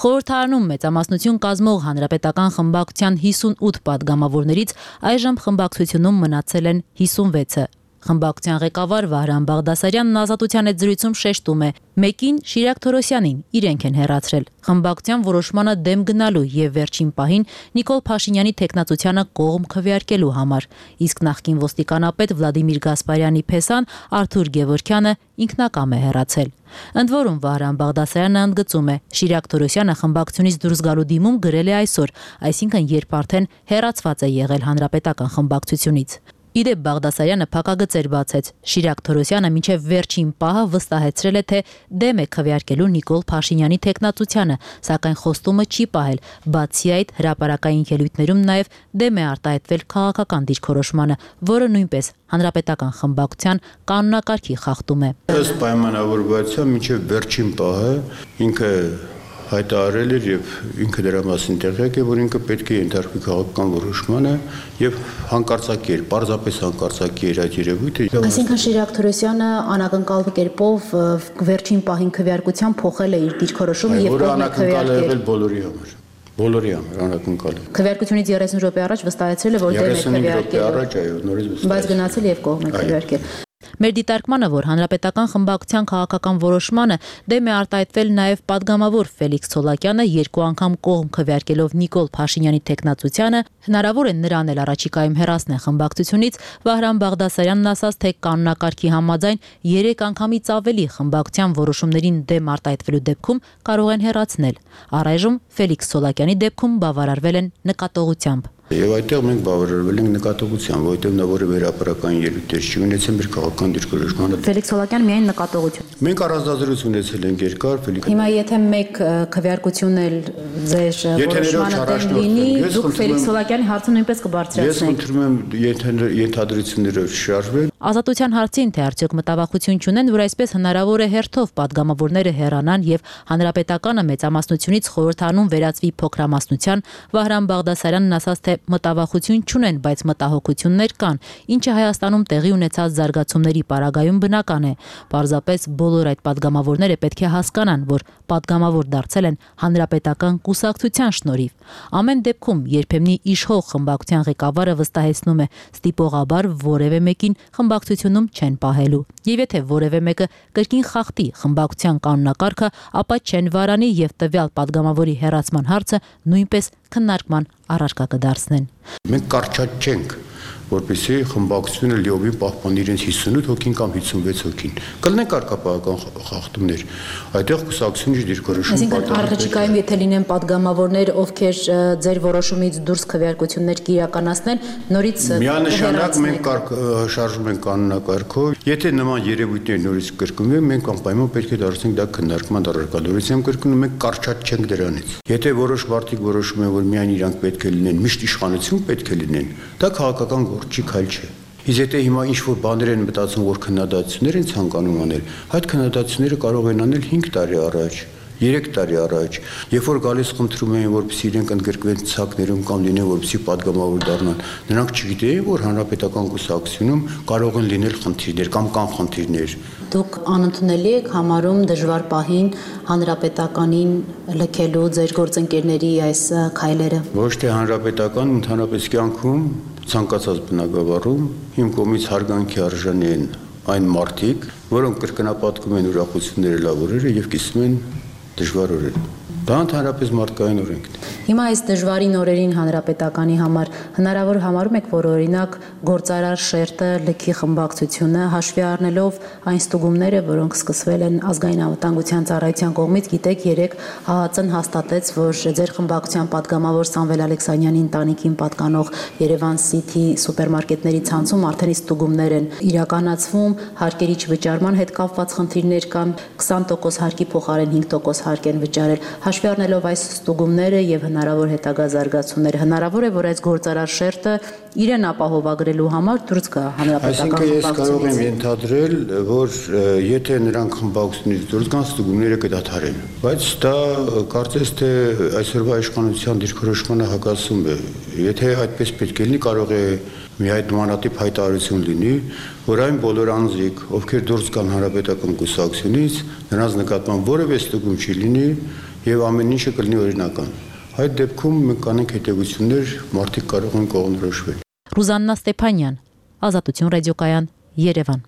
Խորհրդարանում մեծամասնություն կազմող հանրապետական խմբակցության 58 падգամավորներից այժմ խմբակցությունում մնացել են 56-ը։ Խմբակցության ղեկավար Վահրամ Բաղդասարյանն Ազատության հետ զրույցում շեշտում է. մեկին Շիրակ Թորոսյանին իրենք են հեռացրել։ Խմբակցության որոշմանը դեմ գնալու եւ վերջին պահին Նիկոլ Փաշինյանի տեխնացությանը կողմ քվեարկելու համար։ Իսկ նախկին ոստիկանապետ Վլադիմիր Գասպարյանի փեսան Արթուր Գևորգյանը ինքնակամ է հեռացել։ Ընդ որում Վահրամ Բաղդասարյանը ընդգծում է. Շիրակ Թորոսյանը խմբակցությունից դուրս գալու դիմում գրել է այսօր, այսինքն երբ արդեն հեռացված է եղել հանրապետական խմբակցությունից։ Իդեպ Բաղդասարյանը փակագծեր բացեց։ Շիրակ Թորոսյանը մինչև վերջին պահը վստահեցրել է, թե դեմ է քվեարկելու Նիկոլ Փաշինյանի տեխնացությանը, սակայն խոստումը չի պահել։ Բացի այդ, հրապարակային ելույթներում նաև դեմ է արտահայտվել քաղաքական դիրքորոշմանը, որը նույնպես հանրապետական խմբակցության կանոնակարգի խախտում է։ Ըստ պայմանավորվածության մինչև վերջին պահը ինքը հայտարարել էր եւ ինքը դրա մասին տեղյակ է, որ ինքը պետք է ենթարկվի քաղաքական որոշմանը եւ հանկարծակի, պարզապես հանկարծակի էր այդ երևույթը։ Այսինքն Շիրակ Թորոսյանը անակնկալ կերպով վերջին պահին քվեարկության փոխել է իր դիրքորոշումը եւ անակնկալ է բոլորի համար։ Բոլորի համար անակնկալ է։ Քվեարկությունից 30 րոպե առաջ վստահեցրել է, որ դեմ է քվեարկել։ 30 րոպե առաջ, այո, նորից վստահեցել։ Բայց գնացել եւ կողմ է քվեարկել։ Մեր դիտարկմանը, որ հանրապետական խմբակցության քաղաքական որոշմանը դեմ է արտահայտվել նաև падգամավոր Ֆելիքս Ցոլակյանը երկու անգամ կողմ քվեարկելով Նիկոլ Փաշինյանի տեխնացությանը, հնարավոր է նրան էլ առաջիկայում հեռացնել խմբակցությունից, Վահրամ Բաղդասարյանն ասաց, թե կանոնակարգի համաձայն 3 անգամից ավելի խմբակցության որոշումներին դեմ արտահայտվելու դեպքում կարող են հեռացնել։ Առայժմ Ֆելիքս Ցոլակյանի դեպքում բավարարվել են նկատողությամբ։ Եվ այդտեղ մենք բավարարվել ենք նկատողությամբ, որովհետև նա որևէ հրապարակային ելույթեր չի ունեցել մեր քաղաքական դիրքորոշմանը։ Ֆելիքս Ցոլակյան միայն նկատողություն։ Մենք առանձնազրույց ունեցել ենք երկար Ֆելիքս։ Հիմա եթե մեկ քվեարկություն էլ ձեր որոշմանը դեմ լինի, դուք Ֆելիքս Ցոլակյանի հարցը նույնպես կբարձրացնեք։ Ես խնդրում եմ ենթադրությունները շարժվել։ Ազատության հարցին, թե արդյոք մտավախություն չունեն, որ այսպես հնարավոր է հերթով падգամավորները հեռանան եւ հանրապետականը մեծամասնությունից խորհրդանում վերածվի փոքրամասնության, Վահրամ Բաղդասարյանն ասաց, թե մտավախություն չունեն, բայց մտահոգություններ կան, ինչը Հայաստանում տեղի ունեցած զարգացումների պարագայում բնական է։ Պարզապես բոլոր այդ падգամավորները պետք է հասկանան, որ падգամավոր դարձել են հանրապետական կուսակցության շնորհիվ։ Ամեն դեպքում երբեմնի իշխող խմբակցության ղեկավարը վստահեցնում է, ստիպողաբար որևէ մեկին խմբակցությունում չեն պահելու։ Եվ եթե որևէ մեկը կրկին խախտի խմբակցության կանոնակարգը, ապա չեն վարանի եւ տվյալ падգամավորի հեռացման հարցը նույնպես քննարկման առարկա կդարձնեն։ Մենք կարճած չենք, որպեսզի խմբակցությունը լիովին պահպանի իրենց 58 հոգին կամ 56 հոգին։ Կլինեն կարգապահական խախտումներ։ Այդտեղ կուսակցությունից դիրքորոշում պատահել։ Այսինքն առաջիկայում եթե լինեն падգամավորներ, ովքեր ձեր որոշումից դուրս քվեարկություններ կիրականացնեն, նորից միանշանակ մենք շարժում ենք կանոնակարգով։ Եթե նման երևույթներ նորից կրկնվեն, մենք անպայման պետք է դարձնենք դա քննարկման առարկալորությամբ կրկնում, մենք կարճած չենք դրանից։ Եթե որոշ մարդիկ որոշում են, որ միայն իրանք պետք է լինեն, միշտ իշխանություն պետք է լինեն, դա քաղաքական չի քայլ չէ։ Իսկ եթե հիմա ինչ-որ բաներ են մտածում, որ քննադատություններ են ցանկանում անել, այդ քննադատությունները կարող են անել 5 տարի առաջ, 3 տարի առաջ, երբ որ գալիս խնդրում էին, որպեսզի իրենք ընդգրկվեն ցակներում կամ լինեն, որպեսզի падգամավոր դառնան, նրանք չգիտեին, որ հանրապետական կուսակցությունում կարող են լինել խնդիրներ կամ կան խնդիրներ։ Դուք անընդունելի եք համարում դժվար պահին հանրապետականին լքելու ձեր գործընկերների այս քայլերը։ Ոչ թե հանրապետական, ընդհանրապես կյանքում ցանկացած բնակավարում իմ կողմից հարգանքի արժանի են այն մարդիկ, որոնք կրկնապատկում են ուրախությունները, լավ օրերը եւ կիսում են դժվար օրերը։ Դա ընդհանրապես մարդկային օրենքն է։ Հիմա այս դժվարին օրերին հանրապետականի համար հնարավոր համարում եք, որ օրինակ գործարար շերտը լքի խմբակցությունը հաշվի առնելով այն ստուգումները, որոնք սկսվել են ազգային անվտանգության ծառայության կողմից, գիտեք, երեք ՀԱԱԾ-ն հաստատեց, որ ձեր խմբակցության падգամավոր Սամվել Ալեքսանյանի ընտանիքին պատկանող Երևան City սուպերմարկետների ցանցում արդեն ստուգումներ են իրականացվում, հարկերի չվճարման հետ կապված խնդիրներ կան, 20% հարկի փոխարեն 5% հարկ են վճարել։ Հաշվի առնելով այս ստուգումները եւ հնարավոր հետագա զարգացումները, հնարավոր է, որ այս գործարար շերտը իրեն ապահովագրելու համար դուրս գա հանրապետական խմբակցությունից։ Այսինքն ես կարող եմ ենթադրել, որ եթե նրանք խմբակցությունից դուրս գան, ստուգումները կդադարեն, բայց դա կարծես թե այսօրվա իշխանության դիրքորոշմանը հակասում է։ Եթե այդպես պետք է լինի, կարող է մի այդ նմանատիպ հայտարարություն լինի, որ այն բոլոր անձիկ, ովքեր դուրս գան հանրապետական կուսակցությունից, նրանց նկատմամբ որևէ ստուգում չի լինի եւ ամեն ինչը կլինի օրինական։ Այդ դեպքում մենք կանենք հետևություններ, մարդիկ կարող են կողմնորոշվել։ Ռուզաննա Ստեփանյան, Ազատություն ռադիոկայան, Երևան։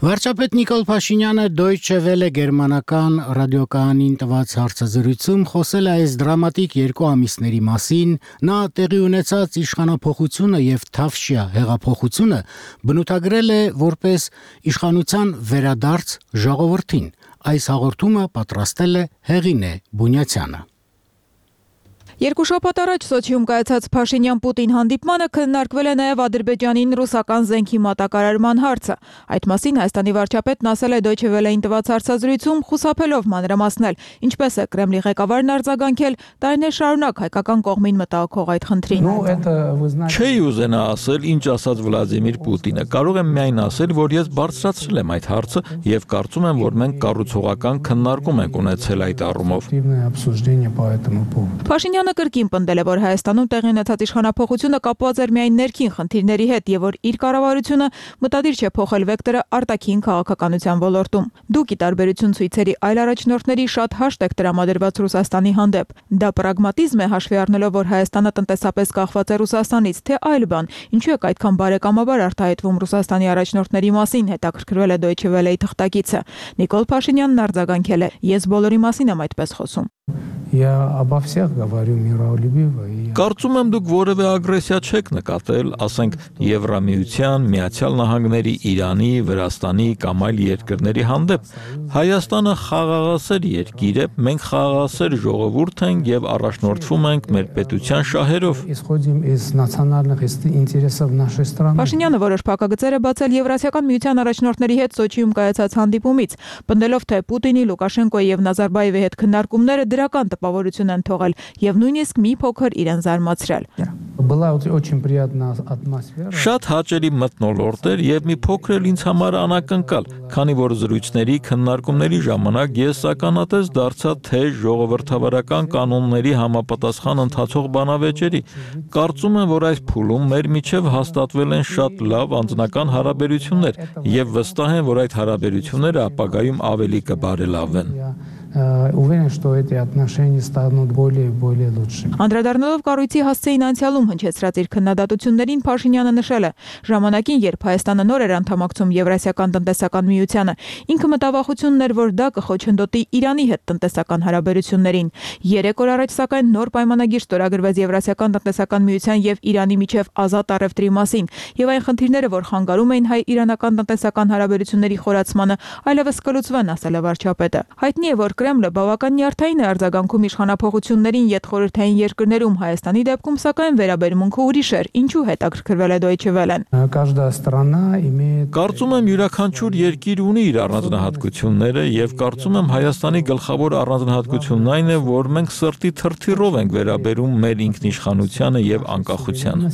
Վարչապետ Նիկոլ Փաշինյանը Deutsche Welle գերմանական ռադիոկայանին տված հարցազրույցում խոսել է այս դրամատիկ 2 ամիսների մասին, նա տեղի ունեցած իշխանափոխությունը եւ Թավշյա հեղափոխությունը բնութագրել է որպես իշխանության վերադարձ ժողովրդին։ Այս հաղորդումը պատրաստել է Հեղինե Բունյացյանը։ Երկու շաբաթ առաջ Սոչիում կայացած Փաշինյան-Պուտին հանդիպմանը քննարկվել է նաև Ադրբեջանին ռուսական զենքի մատակարարման հարցը։ Այդ մասին Հայաստանի վարչապետն ասել է Deutsche Welle-ին տված հարցազրույցում, խուսափելով մանրամասնել, ինչպես է Կրեմլի ղեկավարն արձագանքել տարիներ շարունակ հայկական կողմին մտահոգող այդ խնդրին։ Չի ուզենա ասել, ինչ ասաց Վլադիմիր Պուտինը։ Կարող եմ միայն ասել, որ ես բարձրացրել եմ այդ հարցը եւ կարծում եմ, որ մենք կառուցողական քննարկում ենք ունեցել այդ առումով։ Փաշինյանը կրկին պնդել է, որ Հայաստանում տեղի ունեցած իշխանափոխությունը կապված էր միայն ներքին խնդիրների հետ եւ որ իր կառավարությունը մտադիր չէ փոխել վեկտորը արտաքին քաղաքականության ոլորտում։ Դուք ի տարբերություն ցույցերի այլ առաջնորդների շատ հաշտ եք տրամադրված Ռուսաստանի հանդեպ։ Դա պրագմատիզմ է հաշվի առնելով, որ Հայաստանը տնտեսապես կախված է Ռուսաստանից, թե այլ բան։ Ինչու է այդքան բարեկամաբար արտահայտվում Ռուսաստանի առաջնորդների մասին, հետաքրքրվել է Deutsche Welle-ի թղթակիցը։ Նիկոլ Փաշինյանն արձագանքել է. Ես բոլորի մասին եմ այդպես խոսում։ Կարծում եմ դուք որևէ ագրեսիա չեք նկատել, ասենք Եվրամիության, Միացյալ Նահանգների, Իրանի, Վրաստանի կամ այլ երկրների հանդեպ։ Հայաստանը խաղաղասեր երկիր է, մենք խաղաղասեր ժողովուրդ ենք եւ առաջնորդվում ենք մեր պետության շահերով։ Փաշինյանը որոշ փակագծեր է բացել Եվրասիական միության առաջնորդների հետ Սոչիում կայացած հանդիպումից, պնդելով թե Պուտինի, Լուկաշենկոյի եւ Նազարբաևի հետ քննարկումները դրական տպավորություն են թողել եւ նույնիսկ մի փոքր իրեն զարմացրել։ Շատ հաճելի մթնոլորտ էր եւ մի փոքր էլ ինձ համար անակնկալ, քանի որ զրույցների քննարկումների ժամանակ ես ականատես դարձա թե ժողովրդավարական կանոնների համապատասխան ընթացող բանավեճերի։ Կարծում եմ, որ այս փուլում մեր միջև հաստատվել են շատ լավ անձնական հարաբերություններ եւ վստահ եմ, որ այդ հարաբերությունները ապագայում ավելի կբարելավեն։ Уверен, что эти отношения станут более и более лучшими. Անդրադառնալով կառույցի հասցեին անցյալում հնչեցրած իր քննադատություններին Փաշինյանը նշել է. ժամանակին, երբ Հայաստանը նոր էր անդամակցում Եվրասիական տնտեսական միությանը, ինքը մտավախությունն էր, որ դա կխոչընդոտի Իրանի հետ տնտեսական հարաբերություններին։ 3 օր առաջ սակայն նոր պայմանագիր ստորագրվեց Եվրասիական տնտեսական միության եւ Իրանի միջև ազատ առևտրի մասին, եւ այն խնդիրները, որ խանգարում էին հայ-իրանական տնտեսական հարաբերությունների խորացմանը, այլևս կլուծվեն, ասել է վարչապետը։ Հայտնի է, որ Կրեմլը բավական նյարդային է արձագանքում իշխանափոխություններին յետխորհրդային երկրներում, Հայաստանի դեպքում սակայն վերաբերմունքը ուրիշ էր, ինչու հետաքրքրվել է Deutsche Welle-ն։ Կարծում եմ յուրաքանչյուր երկիր ունի իր առանձնահատկությունները եւ կարծում եմ Հայաստանի գլխավոր առանձնահատկությունն այն է, որ մենք սրտի թրթիռով ենք վերաբերում մեր ինքնիշխանությանը եւ անկախությանը։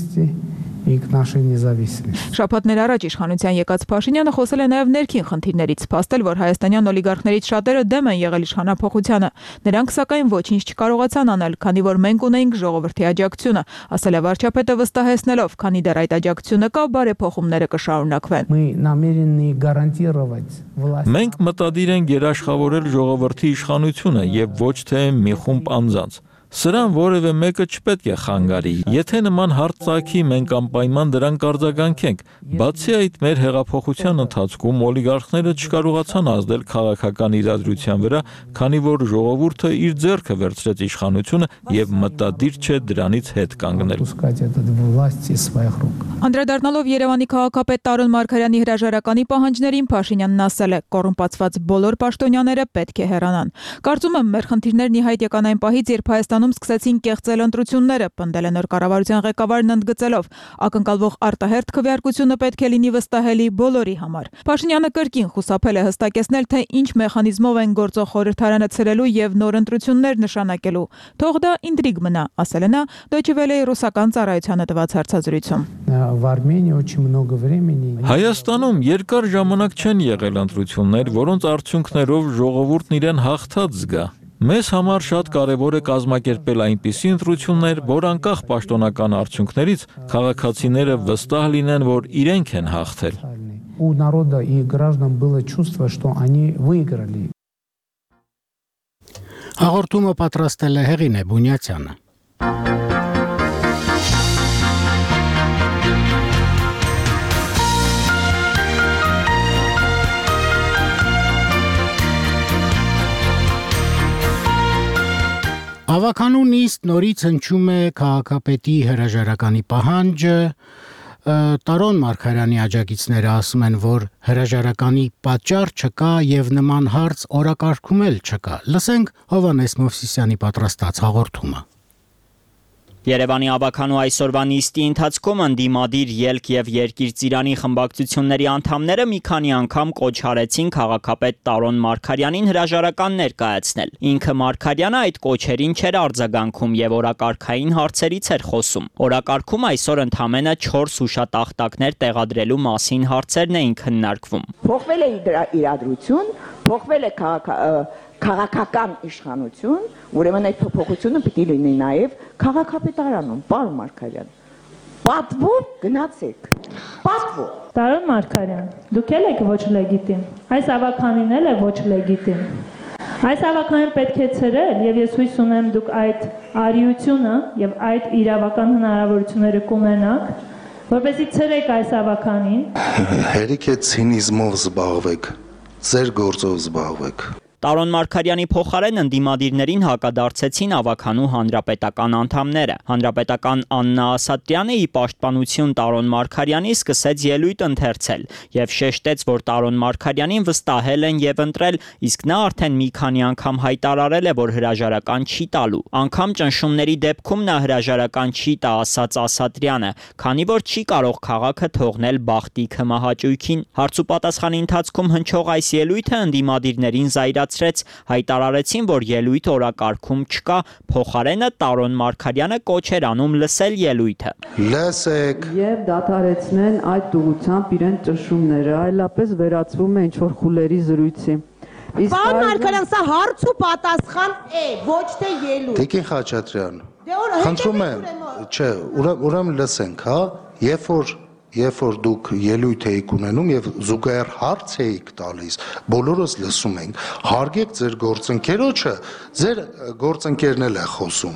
Շաբաթներ առաջ իշխանության եկած Փաշինյանը խոսել է նաև ներքին խնդիրներից, փաստել, որ հայաստանյան օլիգարխներից շատերը դեմ են եղել իշխանափոխությանը։ Նրանք սակայն ոչինչ չկարողացան անել, քանի որ մենք ունեինք ժողովրդի աջակցությունը, ասել է վարչապետը վստահեցնելով, քանի դեռ այդ աջակցությունը կա, բարեփոխումները կշարունակվեն։ Մենք մտադիր ենք երաշխավորել ժողովրդի իշխանությունը եւ ոչ թե մի խումբ անձանց։ Սրան որևէ մեկը չպետք է խանգարի։ Եթե նման հարց ծագի, մենք անպայման դրան կարձագանքենք։ Բացի այդ, մեր հեղափոխության ընթացքում օլիգարխները չկարողացան ազդել քաղաքական իրադրության վրա, քանի որ ժողովուրդը իր ձեռքը վերցրեց իշխանությունը եւ մտադիր չէ դրանից հետ կանգնել։ Անդրադառնալով Երևանի քաղաքապետ Տարոն Մարգարյանի հրաժարականի պահանջներին, Փաշինյանն ասել է. կոռումպացված բոլոր պաշտոնյաները պետք է հեռանան։ Կարծում եմ, մեր խնդիրներն ի հայտ եկան այն պահից, երբ Հայաստանում սկսեցին կեղծել ընտրությունները, պնդել է նոր կառավարության ղեկավարն ընդգծելով. ակնկալվող արտահերթ քվեարկությունը պետք է լինի վստահելի բոլորի համար։ Փաշինյանը կրկին խուսափել է հստակեցնել, թե ինչ մեխանիզմով են գործող խորհրդարանը ցրելու եւ նոր ընտրություններ նշանակելու։ Թող դա ինտրիգ մնա, ասել է նա Deutsche Welle-ի ռուսական ծառայությանը տված հարցազրույցում։ Հայաստանում երկար ժամանակ չեն եղել ընտրություններ, որոնց արդյունքներով ժողովուրդն իրեն հաղթած զգա։ Մեզ համար շատ կարևոր է կազմակերպել այնպիսի ընտրություններ, որ անկախ պաշտոնական արդյունքներից քաղաքացիները վստահ լինեն, որ իրենք են հաղթել։ У народа и граждан было чувство, что они выиграли. Հաղորդումը պատրաստել է Հեղինե Բունյացյանը։ Հավաքանու նիստ նորից հնչում է քաղաքապետի հրաժարականի պահանջը։ Տարոն Մարգարյանի աջակիցները ասում են, որ հրաժարականի պատճառ չկա եւ նման հարց օրակարգում էլ չկա։ Լսենք Հովհաննես Մովսիսյանի պատրաստած հաղորդումը։ Երևանի ավականու այսօրվա նիստի ընթացքում ընդդիմադիր ելք եւ երկիր ծիրանի խմբակցությունների անդամները մի քանի անգամ կոչ արեցին քաղաքապետ Տարոն Մարգարյանին հրաժարական ներկայացնել։ Ինքը Մարգարյանը այդ կոչերին չէր արձագանքում եւ օրակարգային հարցերից էր խոսում։ Օրակարգում այսօր ընդամենը 4 հուշատախտակներ տեղադրելու մասին հարցերն էին քննարկվում։ Փոխվել է իրադրություն, փոխվել է քաղաքական իշխանություն, ուրեմն այդ փոփոխությունը պիտի լինի նաև քաղաքապետարանում, պարոն Մարգարյան։ Պատվով գնացեք։ Պատվով։ Տարոն Մարգարյան, դուք եք ոչ լեգիտիմ։ Այս ավականին էլ է ոչ լեգիտիմ։ Այս ավականին պետք է ցրել եւ ես հույս ունեմ դուք այդ արիությունը եւ այդ իրավական հնարավորությունները կունենաք, որպեսզի ցրեք այս ավականին։ Հերիք է ցինիզմով զբաղվեք, ձեր գործով զբաղվեք։ Տարոն Մարգարյանի փոխարեն ընդդիմադիրներին հակադարձեցին ավականու հանրապետական անդամները։ Հանրապետական Աննա Ասատրյանը ի պաշտպանություն Տարոն Մարգարյանի սկսեց ելույթ ընթերցել եւ շեշտեց, որ Տարոն Մարգարյանին վստահել են եւ ընտրել, իսկ նա արդեն մի քանի անգամ հայտարարել է, որ հրաժարական չի տալու։ Անգամ ճնշումների դեպքում նա հրաժարական չի տա, ասաց Ասատրյանը, քանի որ չի կարող քաղաքը թողնել բախտի քմահաճույքին։ Հարց ու պատասխանի ընթացքում հնչող այս ելույթը ընդդիմադիրներին հայտարարեցին, որ ելույթ օրակարգում չկա, փոխարենը Տարոն Մարգարյանը կոչ էր անում լսել ելույթը։ Լսեք եւ դադարեցնեն այդ ուղղությամբ իրեն ճնշումները, այլապես վերածվում է ինչ-որ խուլերի զրույցի։ Պարոն Մարգարյան, սա հարց ու պատասխան է, ոչ թե ելույթ։ Տիկին Խաչատրյան, խնդրում եմ, չէ, ուրեմն լսենք, հա, Երբ որ դուք ելույթ էիք ունենում եւ զուգահեռ հարց էիք տալիս, բոլորս լսում ենք, հարգեք ձեր գործընկերոջը, ձեր գործընկերն էլ է խոսում։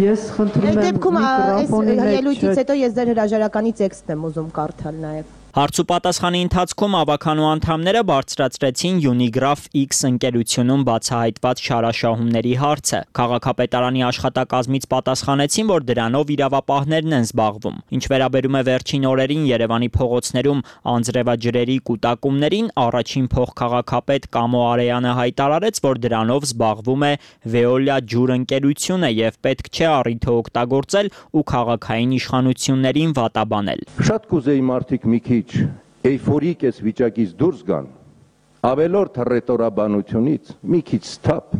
Ես խնդրում եմ միկրոֆոնի մեջ ելույթից հետո ես ձեր հրաժարականի տեքստն եմ ուզում կարդալ նաեւ։ Հարց ու պատասխանի ընթացքում ավականու անդամները բարձրացրեցին Unigraph X ընկերությունում բացահայտված շարաշահումների հարցը։ Քաղաքապետարանի աշխատակազմից պատասխանեցին, որ դրանով իրավապահներն են զբաղվում։ Ինչ վերաբերում է վերջին օրերին Երևանի փողոցներում անձրևաջրերի կուտակումներին, առաջին փոխքաղաքապետ Կամո Արեյանը հայտարարեց, որ դրանով զբաղվում է Veolia ջուր ընկերությունը եւ պետք չէ առիթը օգտագործել ու քաղաքային իշխանություններին վատաբանել։ Շատ կուզեի մարդիկ մի քիչ էյֆորիկ էս վիճակից դուրս գան, ավելորդ ռետորաբանությունից մի քիչ սթափ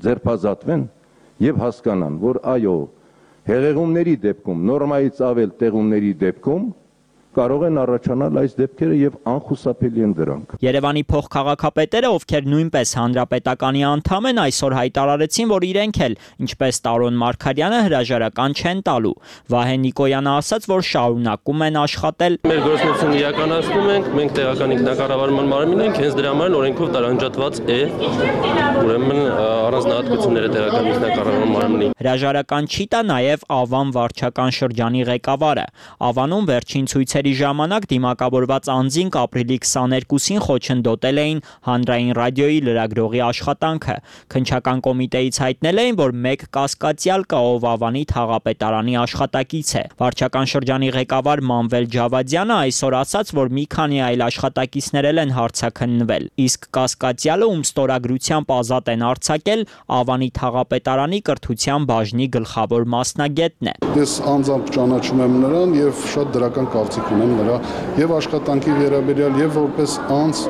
ձերբազատվեն եւ հասկանան, որ այո, հեղեղումների դեպքում, նորմայից ավել տեղումների դեպքում կարող են առաջանալ այս դեպքերը եւ անխուսափելի են դրանք։ Երևանի փոխքաղաքապետերը, ովքեր նույնպես հանրապետականի անդամ են, այսօր հայտարարեցին, որ իրենք էլ, ինչպես Տարոն Մարգարյանը, հրաժարական չեն տալու։ Վահե Նիկոյանը ասաց, որ շարունակում են աշխատել։ Մեր գործունեությունը իրականացնում ենք, մենք տեղական ինքնակառավարման մարմին ենք, հենց դրա համար օրենքով տարանջատված է, ուրեմն առանձնահատկությունները տեղական ինքնակառավարման մարմնի։ Հրաժարական չի տա նաեւ Ավան վարչական շրջանի ղեկավարը։ Ավանում վերջին ցույցերի ժամանակ դիմակավորված անձինք ապրիլի 22-ին խոչընդոտել էին հանրային ռադիոյի լրագրողի աշխատանքը։ Քննչական կոմիտեից հայտնել էին, որ մեկ կասկածյալ կա, ով Ավանի թաղապետարանի աշխատակից է։ Վարչական շրջանի ղեկավար Մանվել Ջավադյանը այսօր ասաց, որ մի քանի այլ աշխատակիցներ են հարցաքննվել, իսկ կասկածյալը, ում ստորագրությամբ ազատ են արձակել, Ավանի թաղապետարանի կրթության բաժնի գլխավոր մասնագետն է։ Ես անձամբ ճանաչում եմ նրան եւ շատ դրական կարծիք ունեմ նրա եւ աշխատանքի վերաբերյալ եւ որպես անձ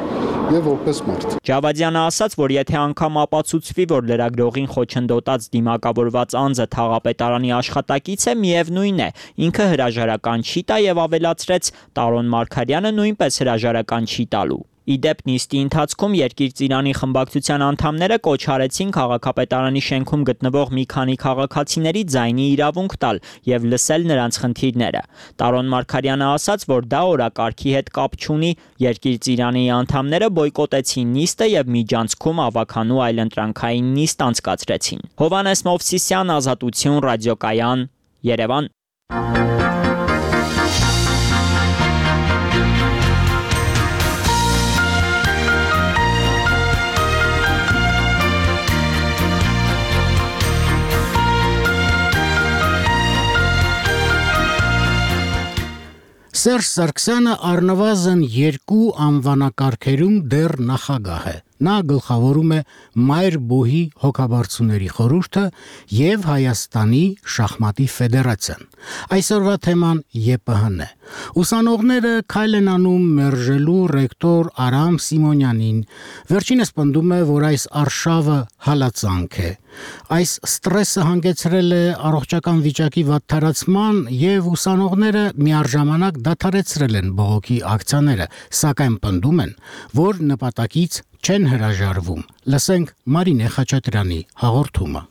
եւ որպես մարդ։ Ջավադյանը ասաց, որ եթե անգամ ապացուցվի, որ լրագրողին խոչընդոտած դիմակավորված անձը թաղապետարանի աշխատակից է, միևնույն է, ինքը հրաժարական չի տա եւ ավելացրեց, Տարոն Մարգարյանը նույնպես հրաժարական չի տալու։ Իդեպ նիստի ընթացքում Երկիր ծիրանի խմբակցության անդամները կոչ արեցին քաղաքապետարանի շենքում գտնվող մի քանի քաղաքացիների ձայնի իրավունք տալ եւ լսել նրանց խնդիրները։ Տարոն Մարգարյանը ասաց, որ դա օրակարգի հետ կապ չունի, Երկիր ծիրանի անդամները բոյկոտեցին նիստը եւ միջանցքում ավականու այլընտրանքային նիստ անցկացրեցին։ Հովհաննես Մովսիսյան, Ազատություն, ռադիոկայան, Երևան։ Սերժ Սարգսյանը առնվազն 2 անվանակարգերում դեռ նախագահ է։ Նա գլխավորում է Մայր բուհի հոգաբարձուների խորհուրդը եւ Հայաստանի շախմատի ֆեդերացիան։ Այսօրվա թեման ԵՊՀ-ն է։ Ուսանողները քայլ են անում մերժելու ռեկտոր Արամ Սիմոնյանին։ Վերջինս պնդում է, որ այս արշավը հալածանք է։ Այս ստրեսը հանգեցրել է առողջական վիճակի վատթարացման եւ ուսանողները միառժամանակ դադարեցրել են բողոքի ակցիաները, սակայն պնդում են, որ նպատակից չեն հրաժարվում։ Լսենք Մարինե Խաչատրյանի հաղորդումը։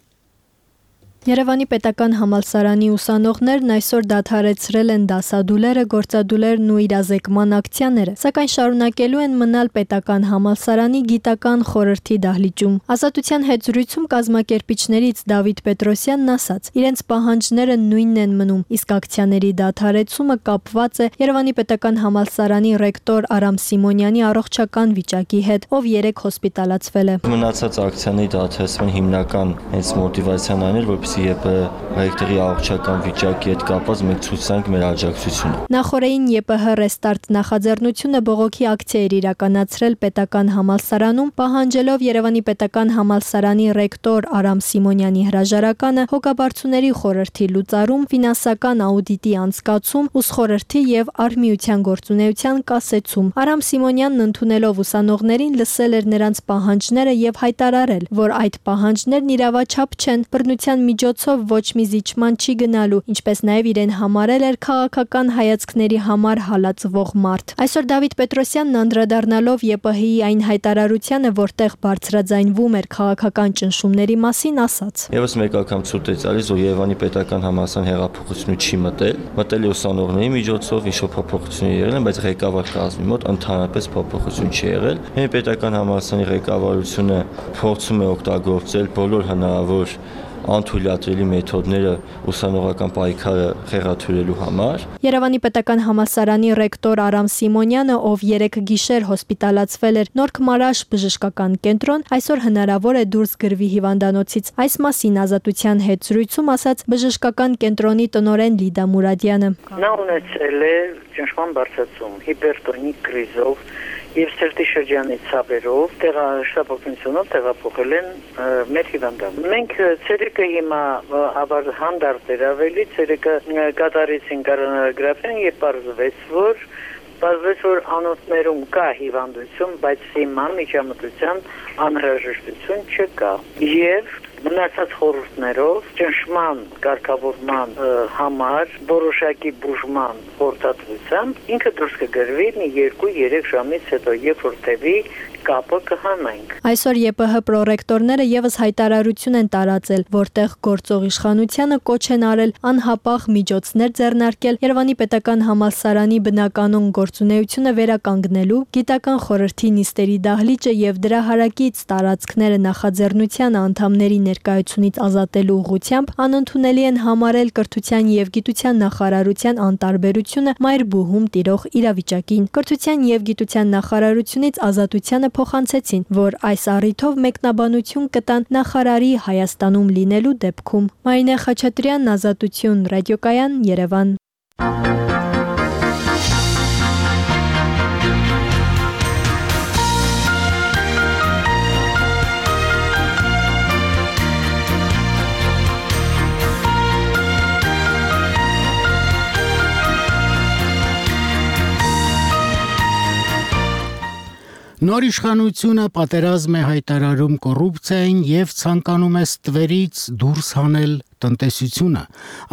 Երևանի պետական համալսարանի ուսանողներն այսօր դադարեցրել են դասադուլերը, գործադուլերն ու իրազեկման ակցիաները, սակայն շարունակելու են մնալ պետական համալսարանի գիտական խորհրդի դահլիճում։ Ազատության հետ զրույցում կազմակերպիչներից Դավիթ Պետրոսյանն ասաց, իրենց պահանջները նույնն են մնում, իսկ ակցիաների դադարեցումը կապված է Երևանի պետական համալսարանի ռեկտոր Արամ Սիմոնյանի առողջական վիճակի հետ, ով 3 հոսպիտալացվել է։ Մնացած ակցիաների դադարեցման հիմնական հենց մոտիվացիան այն էր, որպեսզի ԵՊՀ ռեկտորի առողջական վիճակի հետ կապված մենք ցույց տանք մեր աջակցությունը։ Նախորդին ԵՊՀ ռեստարտ նախաձեռնությունը բողոքի ակցիա էր իրականացրել պետական համալսարանում, պահանջելով Երևանի պետական համալսարանի ռեկտոր Արամ Սիմոնյանի հրաժարականը, հոգաբարձուների խորհրդի լուծարում, ֆինանսական աուդիտի անցկացում, ուսխորհրդի եւ արհմիության գործունեության կասեցում։ Արամ Սիմոնյանն ընդունելով ուսանողներին լսել էր նրանց պահանջները եւ հայտարարել, որ այդ պահանջներն իրավաչափ չեն, բռնության միջոցով ոչ մի զիջման չի գնալու, ինչպես նաև իրեն համարել էր քաղաքական հայացքների համար հալածվող մարդ։ Այսօր Դավիթ Պետրոսյանն անդրադառնալով ԵՊՀ-ի այն հայտարարությանը, որտեղ բարձրաձայնվում էր քաղաքական ճնշումների մասին, ասաց. Եվս մեկ անգամ ցույց է տալիս, որ Երևանի պետական համալսարան հեղափոխությունը չի մտել է ուսանողների միջոցով, ինչ-որ փոփոխություններ եղել են, բայց ղեկավար կազմի մոտ ընդհանրապես փոփոխություն չի եղել։ Մեր պետական համալսարանի ղեկավարությունը փորձում է օգտագործել բոլոր հնարավոր անթույլատրելի մեթոդները ուսանողական պայքարը խեղաթյուրելու համար։ Երևանի պետական համալսարանի ռեկտոր Արամ Սիմոնյանը, ով 3 գիշեր հոսպիտալացվել էր Նորք Մարաշ բժշկական կենտրոն, այսօր հնարավոր է դուրս գրվի հիվանդանոցից։ Այս մասին Ազատության հետ զրույցում ասաց բժշկական կենտրոնի տնօրեն Լիդա Մուրադյանը։ Նա ունեցել է ճնշման բարձրացում, հիպերտոնիկ կրիզով եւ սրտի շրջանի ցավերով տեղաշտապօգնությունով տեղափոխել են մեր հիվանդան։ Մենք ցերեկը հիմա հանդարտ էր ավելի, ցերեկը կատարեցին կորոնարոգրաֆիան եւ պարզվեց, որ անոթներում կա հիվանդություն, բայց հիմա միջամտության անհրաժեշտություն չկա։ Եվ մնացած խորհուրդներով ճնշման կարգավորման համար որոշակի բուժման խորհրդատվությամբ ինքը դուրս կգրվի մի 2-3 ժամից հետո, երբ որ տևի կապը կհանենք։ Այսօր ԵՊՀ պրոռեկտորները եւս հայտարարություն են տարածել, որտեղ գործող իշխանությանը կոչ են արել անհապաղ միջոցներ ձեռնարկել Երևանի պետական համալսարանի բնականոն գործունեությունը վերականգնելու, գիտական խորհրդի նիստերի դահլիճը եւ դրա հարակից տարածքները նախաձեռնության անդամների ներկայությունից ազատելու ուղղությամբ անընդունելի են համարել կրթության եւ գիտության նախարարության անտարբերությունը Մայր բուհում տիրող իրավիճակին։ Կրթության եւ գիտության նախարարությունից Ազատությանը փոխանցեցին, որ այս առիթով մեկնաբանություն կտան նախարարի Հայաստանում լինելու դեպքում։ Մարինե Խաչատրյան, Ազատություն, ռադիոկայան, Երևան։ Նոր իշխանությունը պատերազմ է հայտարարում կոռուպցիային եւ ցանկանում է ստվերից դուրս հանել տնտեսությունը։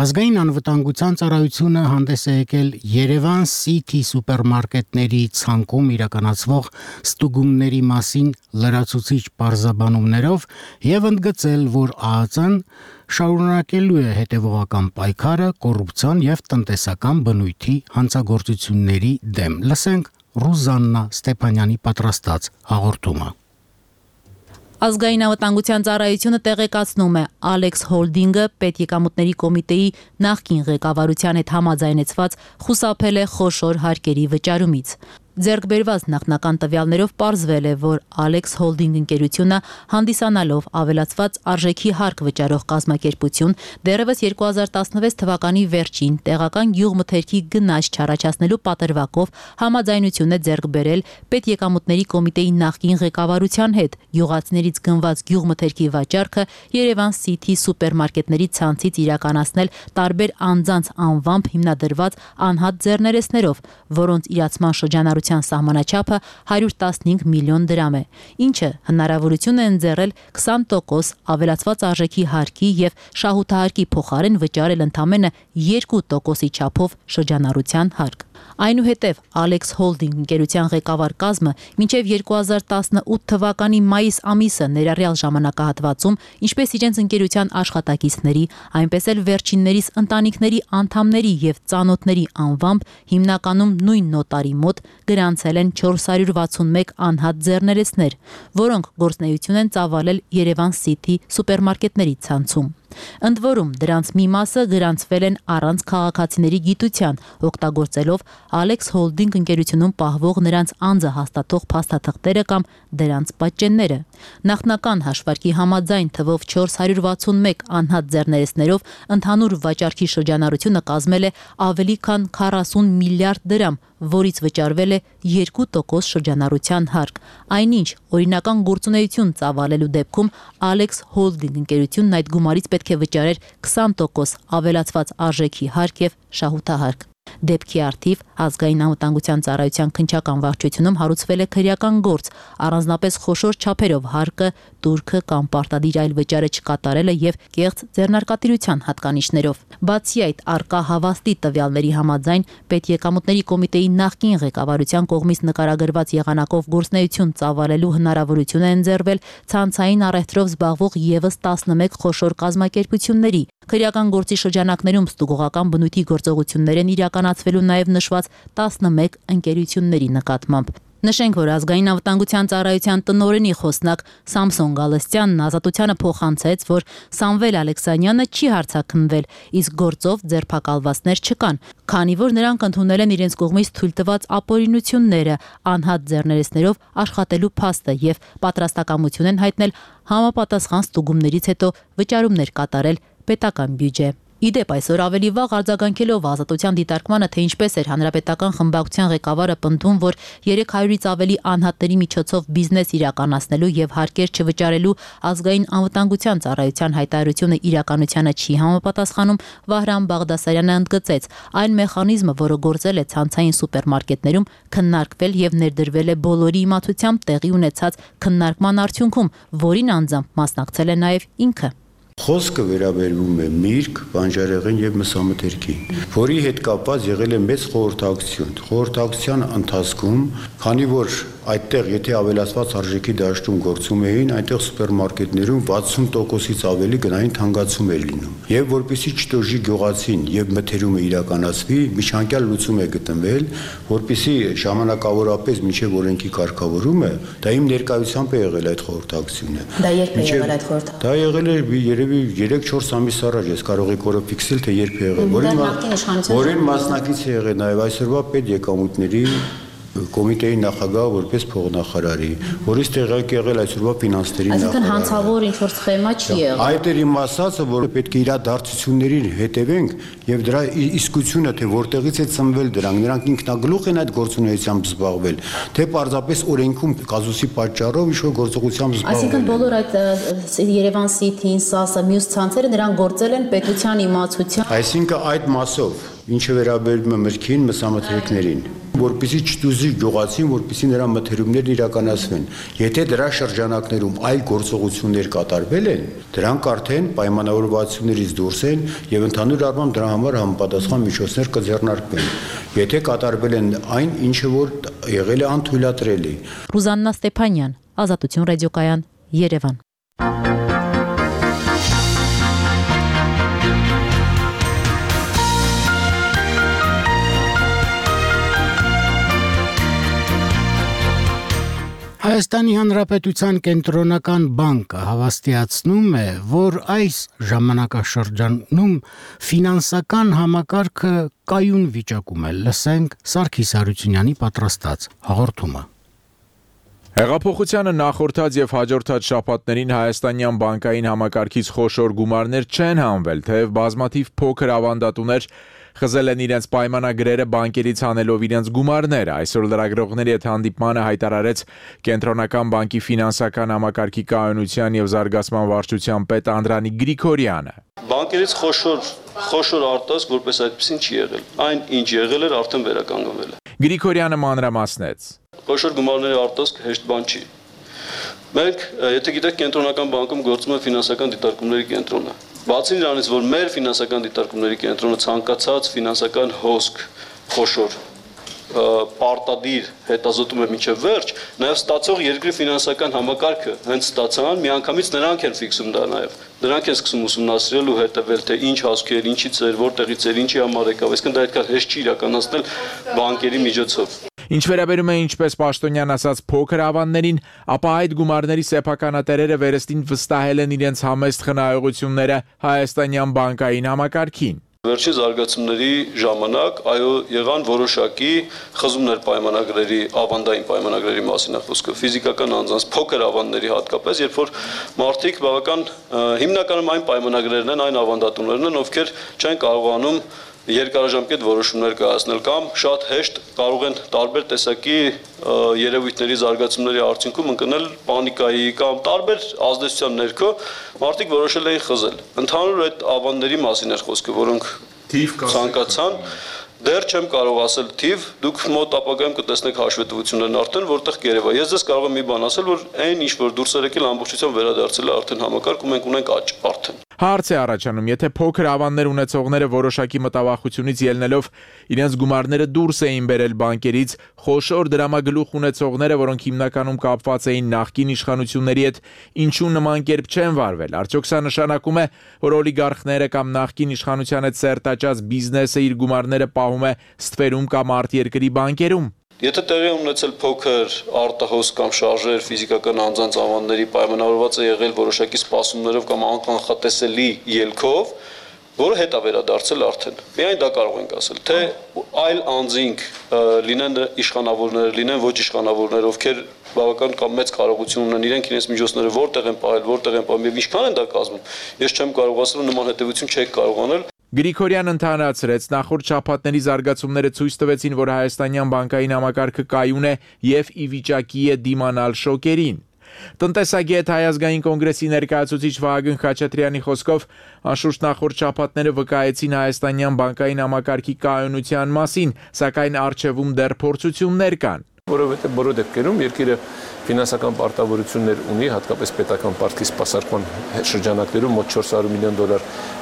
Ազգային անվտանգության ծառայությունը հանդես է եկել Երևան City սուպերմարկետների ցանկում իրականացվող ստուգումների մասին լրացուցիչ պարզաբանումներով եւ ընդգծել, որ ԱԱԾ-ն շարունակելու է հետևողական պայքարը կոռուպցիան եւ տնտեսական բնույթի հանցագործությունների դեմ։ Լսենք Ռուզաննա Ստեփանյանի պատրաստած հաղորդումը։ Ազգային անվտանգության ծառայությունը տեղեկացնում է, Ալեքս Հոլդինգը պետեկամուտների կոմիտեի նախկին ղեկավարության հետ համաձայնեցված խուսափել է խոշոր հարկերի վճարումից։ Ձեռք բերված նախնական տվյալներով պարզվել է, որ Alex Holding ընկերությունը հանդիսանալով ավելացված արժեքի հարկ վճարող կազմակերպություն դեռևս 2016 թվականի վերջին տեղական գյուղմթերքի գնաճ չառաջացնելու պատրվակով համաձայնություն է ձեռք բերել պետեկամուտների կոմիտեի նախկին ղեկավարության հետ գյուղացիներից գնված գյուղմթերքի վաճառքը Երևան City սուպերմարկետների ցանցից իրականացնել տարբեր անձանց անվամբ հիմնադրված անհատ ձեռներեցներով, որոնց իրացման շրջանառության սահմանաչափը 115 միլիոն դրամ է, ինչը հնարավորություն է ընձեռել 20% ավելացված արժեքի հարկի եւ շահութահարկի փոխարեն վճարել ընդամենը 2%-ի չափով շրջանառության հարկ։ Այնուհետև Alex Holding ընկերության ղեկավար կազմը մինչև 2018 թվականի մայիս ամիսը ներառյալ ժամանակահատվածում, ինչպես իրենց ընկերության աշխատակիցների, այնպես էլ վերջիններիս ընտանիքների անդամների եւ ծանոթների անվամբ հիմնականում նույն նոտարի մոտ գրանցել են 461 անհատ ձեռներեցներ, որոնք գործունեություն են ծավալել Երևան City սուպերմարկետների ցանցում։ Ընդ որում դրանց մի մասը գրանցվել են առանց քաղաքացիների գիտության, օգտագործելով Alex Holding ընկերությունում պահվող նրանց անձը հաստատող փաստաթղթերը կամ դրանց պատճենները։ Նախնական հաշվարկի համաձայն թվով 461 անհատ ձեռներեցներով ընդհանուր վաճառքի շրջանառությունը կազմել է ավելի քան 40 միլիարդ դրամ, որից վճարվել է 2% շրջանառության հարկ։ Այնինչ, օրինական գործունեություն ծավալելու դեպքում Alex Holding ընկերությունն այդ գումարից պետք է վճարեր 20% ավելացված արժեքի հարկ եւ շահութահարկ։ Դեպքի արդիվ ազգային անվտանգության ծառայության քննչական վարչությունում հարուցվել է քրեական գործ, առանձնապես խոշոր չափերով հարկը, турքը կամ պարտադիր այլ վճարը չկատարելը եւ կեղծ ձեռնարկատիրության հատկանիշներով։ Բացի այդ, առկա հավաստի տվյալների համաձայն պետեկամուտների կոմիտեի նախկին ղեկավարության կողմից նկարագրված եղանակով գործունեություն ծավալելու հնարավորություն է ընձեռվել ցանցային առևտրով զբաղվող եւս 11 խոշոր կազմակերպությունների։ Քրեական գործի շրջանակներում ստուգողական բնույթի գործողություններ են իրականացվելու նաև նշված 11 ընկերությունների նկատմամբ։ Նշենք, որ ազգային անվտանգության ծառայության տնօրենի խոսնակ Սամսոն Գալստյանն ազատությանը փոխանցեց, որ Սամվել Ալեքսանյանը չի հարձակնվել, իսկ գործով ձերբակալվածներ չկան, քանի որ նրանք ընդունել են իրենց կողմից թույլ տված ապօրինությունները, անհատ ձեռներեցներով աշխատելու փաստը եւ պատրաստակամություն են հայտնել համապատասխան ստուգումներից հետո վճարումներ կատարել պետական բյուջե։ Իդեպ այսօր ավելի վաղ արձագանքելով ազատության դիտարկմանը, թե ինչպես էր հանրապետական խմբակցության ղեկավարը պնդում, որ 300-ից ավելի անհատների միջոցով բիզնես իրականացնելու եւ հարկեր չվճարելու ազգային անվտանգության ծառայության հայտարարությունը իրականությանը չի համապատասխանում, Վահրամ Բաղդասարյանը ընդգծեց, այն մեխանիզմը, որը գործել է ցանցային սուպերմարկետներում, քննարկվել եւ ներդրվել է բոլորի իմացությամբ տեղի ունեցած քննարկման արդյունքում, որին անձամբ մասնակցել է նաեւ ինքը։ Խոսքը վերաբերվում է միրգ, բանջարեղեն եւ մսամթերքին, որի հետ կապված եղել է մեծ խորհրդակցություն։ Խորհրդակցության ընթացքում, քանի որ այդտեղ եթե ավելացված արժեքի դաշտում գործում էին, այնտեղ սուպերմարկետներում 60%-ից ավելի գնային թանկացում էր լինում։ Եվ որպեսզի չտոժի գյուղացին եւ մթերումը իրականացվի, միջանկյալ լուծում է գտնվել, որպեսզի ժամանակավորապես մինչեւ օրենքի կարգավորումը, դա իմ ներկայությամբ է եղել այդ խորհրդակցությունը։ Դա երբ է եղել այդ խորհրդակցությունը։ Դա եղել է երևի 3-4 ամիս առաջ, ես կարող եք օրը ֆիքսել, թե երբ է եղել։ Որին մասնակից է եղել նաեւ այսօրվա պետեկամուտների կոմիտեի նախագահը որպես փոխնախարարի, որից տեղակ եղել այսօրվա ֆինանսների նախագահը։ Այսինքն հանցավոր ինչ-որ սխեմա չի եղել։ Այդ էր իմ ասածը, որ պետք է իրադարձություններին հետևենք եւ դրա իսկությունը, թե որտեղից է ծնվել դրանք ինքնագլուխ են այդ գործունեությամբ զբաղվել, թե պարզապես օրենքում կազուսի պատճառով ինչ-որ գործողությամբ զբաղվել։ Այսինքն բոլոր այդ Երևան City-ին, ՍԱՍ-ը, մյուս ցանցերը նրանք գործել են պետության իմացությամբ։ Այսինքն այդ մասով, ինչը վերաբերում է մրգին, մսամթերքներին, որպեսզի չտուզի գյուղացին, որպեսզի նրա մթերումներն իրականացվեն։ Եթե դրա շրջանակներում այլ գործողություններ կատարվել են, դրանք արդեն պայմանավորվածություններից դուրս են եւ ընդհանուր առմամբ դրա համար համապատասխան միջոցներ կձեռնարկվեն։ Եթե կատարվել են այն, ինչը որ եղել է անթույլատրելի։ Ռուզաննա Ստեփանյան, Ազատություն ռադիոկայան, Երևան։ Հայաստանի Հանրապետության կենտրոնական բանկը հավաստիացնում է, որ այս ժամանակաշրջանում ֆինանսական համակարգը կայուն վիճակում է։ Լսենք Սարգիս Հարությունյանի պատրաստած հաղորդումը։ Հեղափոխությանը նախորդած եւ հաջորդած շաբաթներին հայաստանյան բանկային համակարգից խոշոր գումարներ չեն հանվել, թեև բազմաթիվ փոքր ավանդատուներ խզել են իրենց պայմանագրերը բանկերից հանելով իրենց գումարները։ Այսօր լրագրողների հետ հանդիպմանը հայտարարեց Կենտրոնական բանկի ֆինանսական համակարգի կայունության եւ զարգացման վարչության պետ Անդրանիկ Գրիգորյանը։ Բանկերից խոշոր արտասկ որպես այդպեսին չի եղել։ Այն ինչ եղել էր արդեն վերականգնվել է։ Գրիգորյանը մանրամասնեց. Խոշոր գումարների արտասկ հեշտ բան չի։ Մենք, եթե գիտեք, Կենտրոնական բանկում գործում է ֆինանսական դիտարկումների կենտրոնը։ Բացի նրանից, որ մեր ֆինանսական դիտարկումների կենտրոնը ցանկացած ֆինանսական հոսք խոշոր պարտադիր հետազոտում է մինչև վերջ, նաև ստացող երկրի ֆինանսական համակարգը հենց ստացան, միանգամից նրանք են ֆիքսում դա նաև։ Նրանք են սկսում ուսումնասիրել ու հետևել, թե ինչ հասկեր, ինչից էր, որտեղից էր, ինչի համար եկավ, այսինքն դա այդքան հեշտ չի իրականացնել բանկերի միջոցով։ Ինչ վերաբերում է ինչպես Պաշտոնյան ասաց փոքր ավանդներին, ապա այդ գումարների սեփականատերերը վերստին վստահել են իրենց համեստ խնայողությունները հայաստանյան բանկային համակարգին։ Վերջին զարգացումների ժամանակ եղան որոշակի խզումներ պայմանագրերի, ավանդային պայմանագրերի մասին է խոսքը, ֆիզիկական անձանց փոքր ավանդների հատկապես, երբ որ մարդիկ բավական հիմնականում այն պայմանագրերն են, այն ավանդատուներն են, ովքեր չեն կարողանում երկարաժամկետ որոշումներ կայացնել կամ շատ հեշտ կարող են տարբեր տեսակի երևույթների զարգացումների արդյունքում ընկնել պանիկայի կամ տարբեր ազդեցության ներքո մարդիկ որոշել էին խզել։ Ընդհանուր այդ ավանդների մասին էր խոսքը, որոնք ցանկացան, դեռ չեմ կարող ասել թիվ, դուք մոտ ապագայում կտեսնեք հաշվետվություններն արդեն, որտեղ կերևա։ Ես ձեզ կարող եմ մի բան ասել, որ այն ինչ որ դուրս էր եկել ամբողջությամբ վերադարձել է արդեն համակարգ ու մենք ունենք աճ արդեն։ Հարց է առաջանում, եթե փոքր ավանդներ ունեցողները որոշակի մտավախությունից ելնելով իրենց գումարները դուրս էին բերել բանկերից, խոշոր դրամագլուխ ունեցողները, որոնք հիմնականում կապված էին նախկին իշխանությունների հետ, ինչու նման կերպ չեն վարվել։ Արդյոք սա նշանակում է, որ օլիգարխները կամ նախկին իշխանության հետ սերտաճած բիզնեսը իր գումարները պահում է ստվերում կամ արտերկրի բանկերում։ Եթե տեղի ունեցել փոքր արտահոս կամ շարժեր ֆիզիկական անձանց ավանդների պայմանավորված է եղել որոշակի սպասումներով կամ անկանխատեսելի ելքով, որը հետ է վերադարձել արդեն։ Միայն դա կարող ենք ասել, թե այլ անձինք լինեն իշխանավորներ, լինեն ոչ իշխանավորներ, ովքեր բավական կամ մեծ կարողություն ունեն իրենք իրենց միջոցները որտեղ են պահել, որտեղ են պահում եւ ինչքան են դա կազմում։ Ես չեմ կարող ասել նման հետեւություն չեք կարող անել։ Գրիգորյանը ընդհանրացրեց, նախորդ շաբաթների զարգացումները ցույց տվեցին, որ հայաստանյան բանկային համակարգը կայուն է եւ ի վիճակի է դիմանալ շոկերին։ Տնտեսագետ Հայ ազգային կոնգրեսի ներկայացուցիչ Վահագն Խաչատրյանի խոսքով, անշուշտ նախորդ շաբաթները վկայեցին հայաստանյան բանկային համակարգի կայունության մասին, սակայն առջևում դեռ փորձություններ կան։ Որովհետև բոլոր դեպքերում երկիրը ֆինանսական պարտավորություններ ունի, հատկապես պետական պարտքի սպասարկման շրջանակներում մոտ $400 միլիոն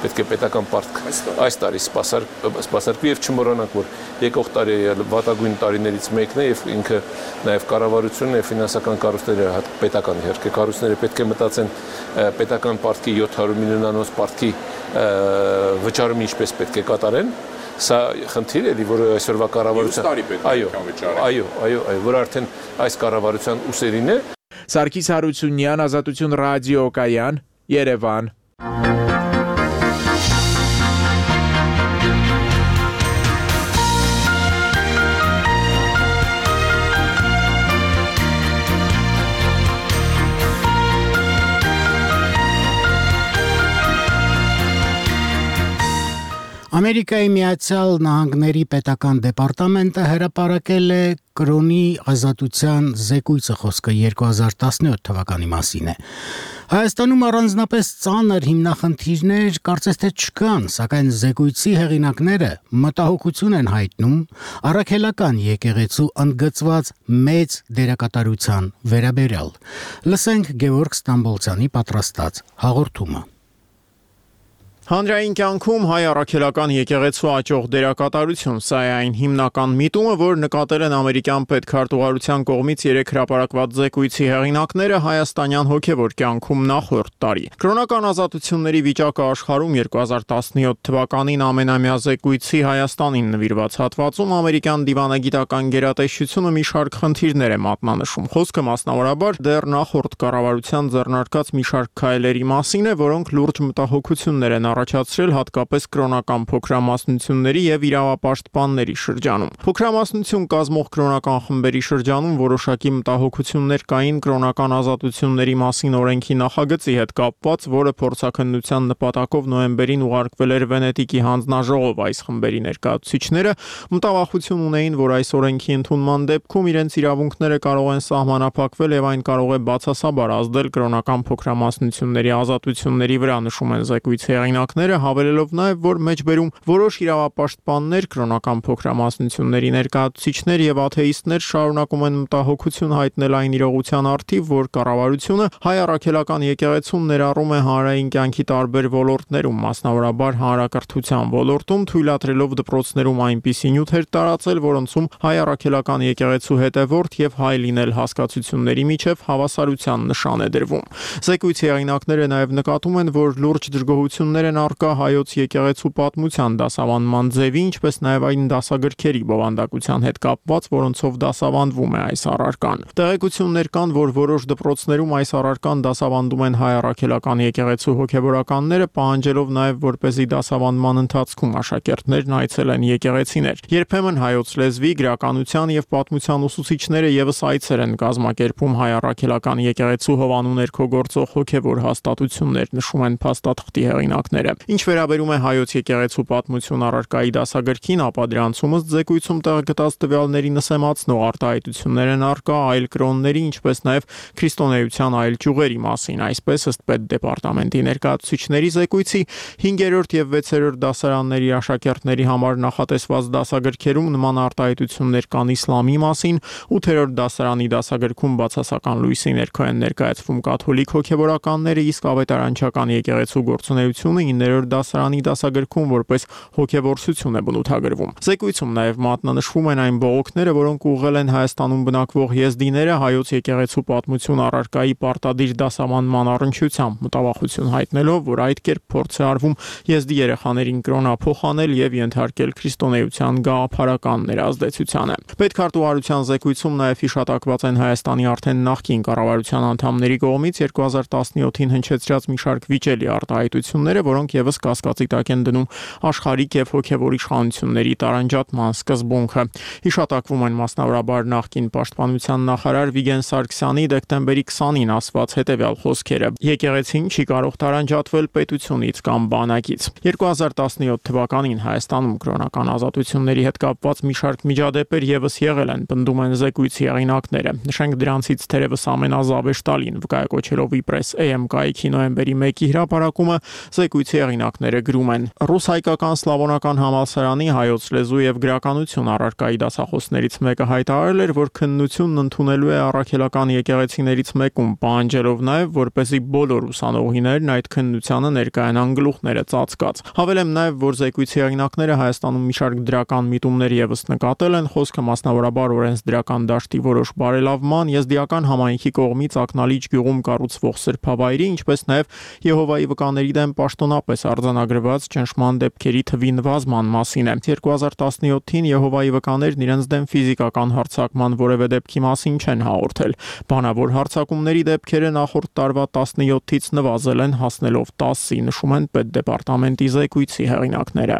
պետք է պետական պարտք այս տարի սպասարկվի եւ չմոռանանք, որ եկող տարի վատագույն տարիներից մեկն է եւ ինքը նաեւ կառավարությունն եւ ֆինանսական կառույցները պետական իհարկե կառույցները պետք է մտածեն պետական պարտքի 700 միլիոնանոց պարտքի վճարումը ինչպես պետք է կատարեն։ Սա խնդիր էլի, որը այսօրվա կառավարության այո, որ արդեն այս կառավարության ուսերին է։ Սարգիս Հարությունյան, Ազատություն ռադիոկայան, Երևան։ Ամերիկայի Միացյալ Նահանգների պետական դեպարտամենտը հրապարակել է կրոնի ազատության զեկույցը, խոսքը 2017 թվականի մասին է։ Հայաստանում առանձնապես ծանր հիմնախնդիրներ կարծես թե չկան, սակայն զեկույցի հեղինակները մտահոգություն են հայտնում առաքելական եկեղեցու ընդգծված մեծ դերակատարության վերաբերյալ։ Լսենք Գևորգ Ստամբոլցյանի պատրաստած հաղորդումը։ Հանրային կյանքում հայ առաքելական եկեղեցու աճող դերակատարություն, սա է այն հիմնական միտումը, որ նկատել են ամերիկյան պետքարտուղարության կողմից 3 հրապարակված զեկույցի հեղինակները հայաստանյան հոգևոր կյանքում նախորդ տարի։ Կրոնական ազատությունների վիճակը աշխարհում 2017 թվականին ամենամյա զեկույցի Հայաստանին նվիրված հատվածում ամերիկյան դիվանագիտական գերատեսչությունը մի շարք խնդիրներ է մատնանշում։ Խոսքը մասնավորաբար դեռ նախորդ կառավարության ձեռնարկած մի շարք քայլերի մասին է, որոնք լուրջ մտահոգություններ են առաջացրել հատկապես կրոնական փոքրամասնությունների եւ իրավապաշտպանների շրջանում։ Փոքրամասնություն կազմող կրոնական խմբերի շրջանում որոշակի մտահոգություններ կային կրոնական ազատությունների մասին օրենքի նախագծի հետ կապված, որը փորձաքննության նպատակով նոյեմբերին ուղարկվել էր Վենետիկի հանձնաժողով։ Այս խմբերի ներկայացուցիչները մտավախություն ունեին, որ այս օրենքի ընդունման դեպքում իրենց իրավունքները կարող են սահմանափակվել եւ այն կարող է բացասաբար ազդել կրոնական փոքրամասնությունների ազատությունների վրա, նշում են զեկույցի հեղինակները, հավելելով նաև, որ մեջբերում որոշ իրավապաշտպաններ, կրոնական փոքրամասնությունների ներկայացուցիչներ եւ աթեիստներ շարունակում են մտահոգություն հայտնել այն իրողության առթիվ, որ կառավարությունը հայ առաքելական եկեղեցուն ներառում է հանրային կյանքի տարբեր ոլորտներում, մասնավորաբար հանրակրթության ոլորտում, թույլատրելով դպրոցներում այնպիսի նյութեր տարածել, որոնցում հայ առաքելական եկեղեցու հետևորդ եւ հայ լինել հասկացությունների միջև հավասարության նշան է դրվում։ Զեկույցի հեղինակները նաև նկատում են, որ լուրջ դժգոհություններ են առկա հայոց եկեղեցու պատմության դասավանդման ձևի, ինչպես նաև այն դասագրքերի բովանդակության հետ կապված, որոնցով դասավանդվում է այս առարկան։ Տեղեկություններ կան, որ որոշ դպրոցներում այս առարկան դասավանդում են հայ առաքելական եկեղեցու հոգևորականները, պահանջելով նաև, որպեսզի դասավանդման ընթացքում աշակերտներն այցելեն եկեղեցիներ։ Երբեմն հայոց լեզվի, գրականության եւ պատմության ուսուցիչները եւս այցեր են կազմակերպում հայ առաքելական եկեղեցու հովանու ներքո գործող հոգևոր հաստատություններ, նշում են փաստաթղթի հեղինակները։ Ինչ վերաբերում է հայոց եկեղեցու պատմություն առարկայի դասագրքին, ապա դրանցում ըստ զեկույցում տեղգտած տվյալների նսեմացնող արտահայտություններ են առկա այլ կրոնների, ինչպես նաև քրիստոնեության այլ ճյուղերի մասին։ Այսպես ըստ պետդեպարտամենտի ներկայացուցիչների զեկույցի 5-րդ եւ 6-րդ դասարանների աշակերտների համար նախատեսված դասագրքերում նման արտահայտություններ կան իսլամի մասին, 8-րդ դասարանի դասագրքում բացասական լույսի ներքո են ներկայացվում կաթոլիկ հոգևորականները, իսկ ավետարանչական եկեղեցու գործունեությունը 9-րդ դասարանի դասագրքում որպես հոգևորություն է բնութագրվում։ Զեկույցում նաև մատնանշվում են այն բողոքները, որոնք ուղղել են Հայաստանում բնակվող եզդիները հայոց եկեղեցու պատմություն առարկայի պարտադիր դասավանդման առնչությամբ, մտավախություն հայտնելով, որ այդ կերպ փորձ է արվում եզդի երեխաներին կրոնափոխանել եւ ենթարկել քրիստոնեության գաղափարական ներազդեցությանը։ Պետքարտուղարության զեկույցում նաև հիշատակված են Հայաստանի արդեն նախկին կառավարության անդամների կողմից 2017-ին հնչեցրած մի շարք վիճելի արտահայտությունները, որոնք եւս կասկածի տակ են դնում աշխարհիկ եւ հոգեվոր իշխանությունների տարանջատման սկզբունքը։ Հիշատակվում են մասնավորաբար նախկին պաշտպանության նախարար Վիգեն Սարգսյանի դեկտեմբերի 20-ին ասված հետևյալ խոսքերը. «Եկեղեցին չի կարող տարանջատվել պետությունից կամ բանակից»։ 2017 թվականին Հայաստանում կրոնական ազատությունների հետ կապված մի շարք միջադեպեր եւս եղել են, պնդում են զեկույցի հեղինակները։ Նշենք դրանցից թերևս ամենազավեշտալին վկայակոչելով իպրես AM կայքի նոյեմբերի 1-ի հրապարակումը, զեկույցի հեղինակները գրում են. «Ռուս-հայկական սլավոնական համալսարանի հայոց լեզու եւ գրականություն առարկայի դասախոսներից մեկը հայտարարել էր, որ քննությունն ընդունելու է առաքելական եկեղեցիներից մեկում, պահանջելով նաեւ, որպեսզի բոլոր ուսանողիներն այդ քննությանը ներկայանան գլուխները ծածկած։ Հավելեմ նաեւ, որ զեկույցի հեղինակները Հայաստանում մի շարք դրական միտումներ եւս նկատել են, խոսքը մասնավորաբար օրենսդրական դաշտի որոշ բարելավման, եզդիական համայնքի կողմից ակնալիջ գյուղում կառուցվող սրբավայրի, ինչպես նաեւ Եհովայի վկաների դեմ պաշտոնապես արձանագրված ճնշման դեպքերի թվի նվազման մասին է։ 2017-ին Եհովայի վկաներն իրենց դեմ ֆիզիկական հարձակման որևէ դեպքի մասին չեն հաղորդել։ Բանավոր հարձակումների դեպքերը նախորդ տարվա 17-ից նվազել են, հասնելով 10-ի, նշում են պետդեպարտամենտի զեկույցի հեղինակները։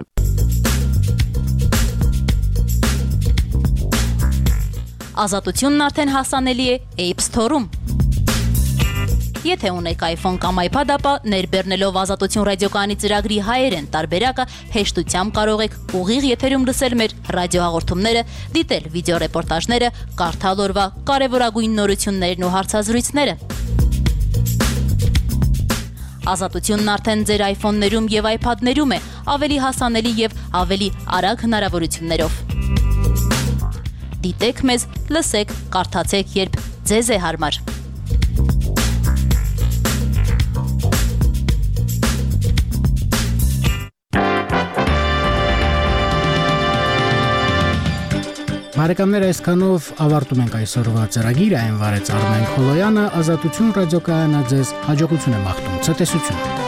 Ազատությունն արդեն հասանելի է App Store-ում։ Եթե ունեք iPhone կամ iPad, ապա ներբեռնելով Ազատություն ռադիոկայանի ծրագրի հայերեն տարբերակը հեշտությամբ կարող եք ուղիղ եթերում լսել մեր ռադիոհաղորդումները, դիտել վիդեոռեպորտաժները, կարդալ օրվա կարևորագույն նորություններն ու հարցազրույցները։ Ազատությունն արդեն ձեր iPhone-ներում եւ iPad-ներում է, ավելի հասանելի եւ ավելի արագ հնարավորություններով։ Դիտեք մեզ, լսեք, կարդացեք, երբ ձեզ է հարմար։ Բարեկամներ, այսքանով ավարտում ենք այսօրվա ծրագիրը, այն վարեց Արմեն Խոլոյանը, Ազատություն ռադիոկայանը ձեզ հաջողություն եմ աղթում, ցտեսություն։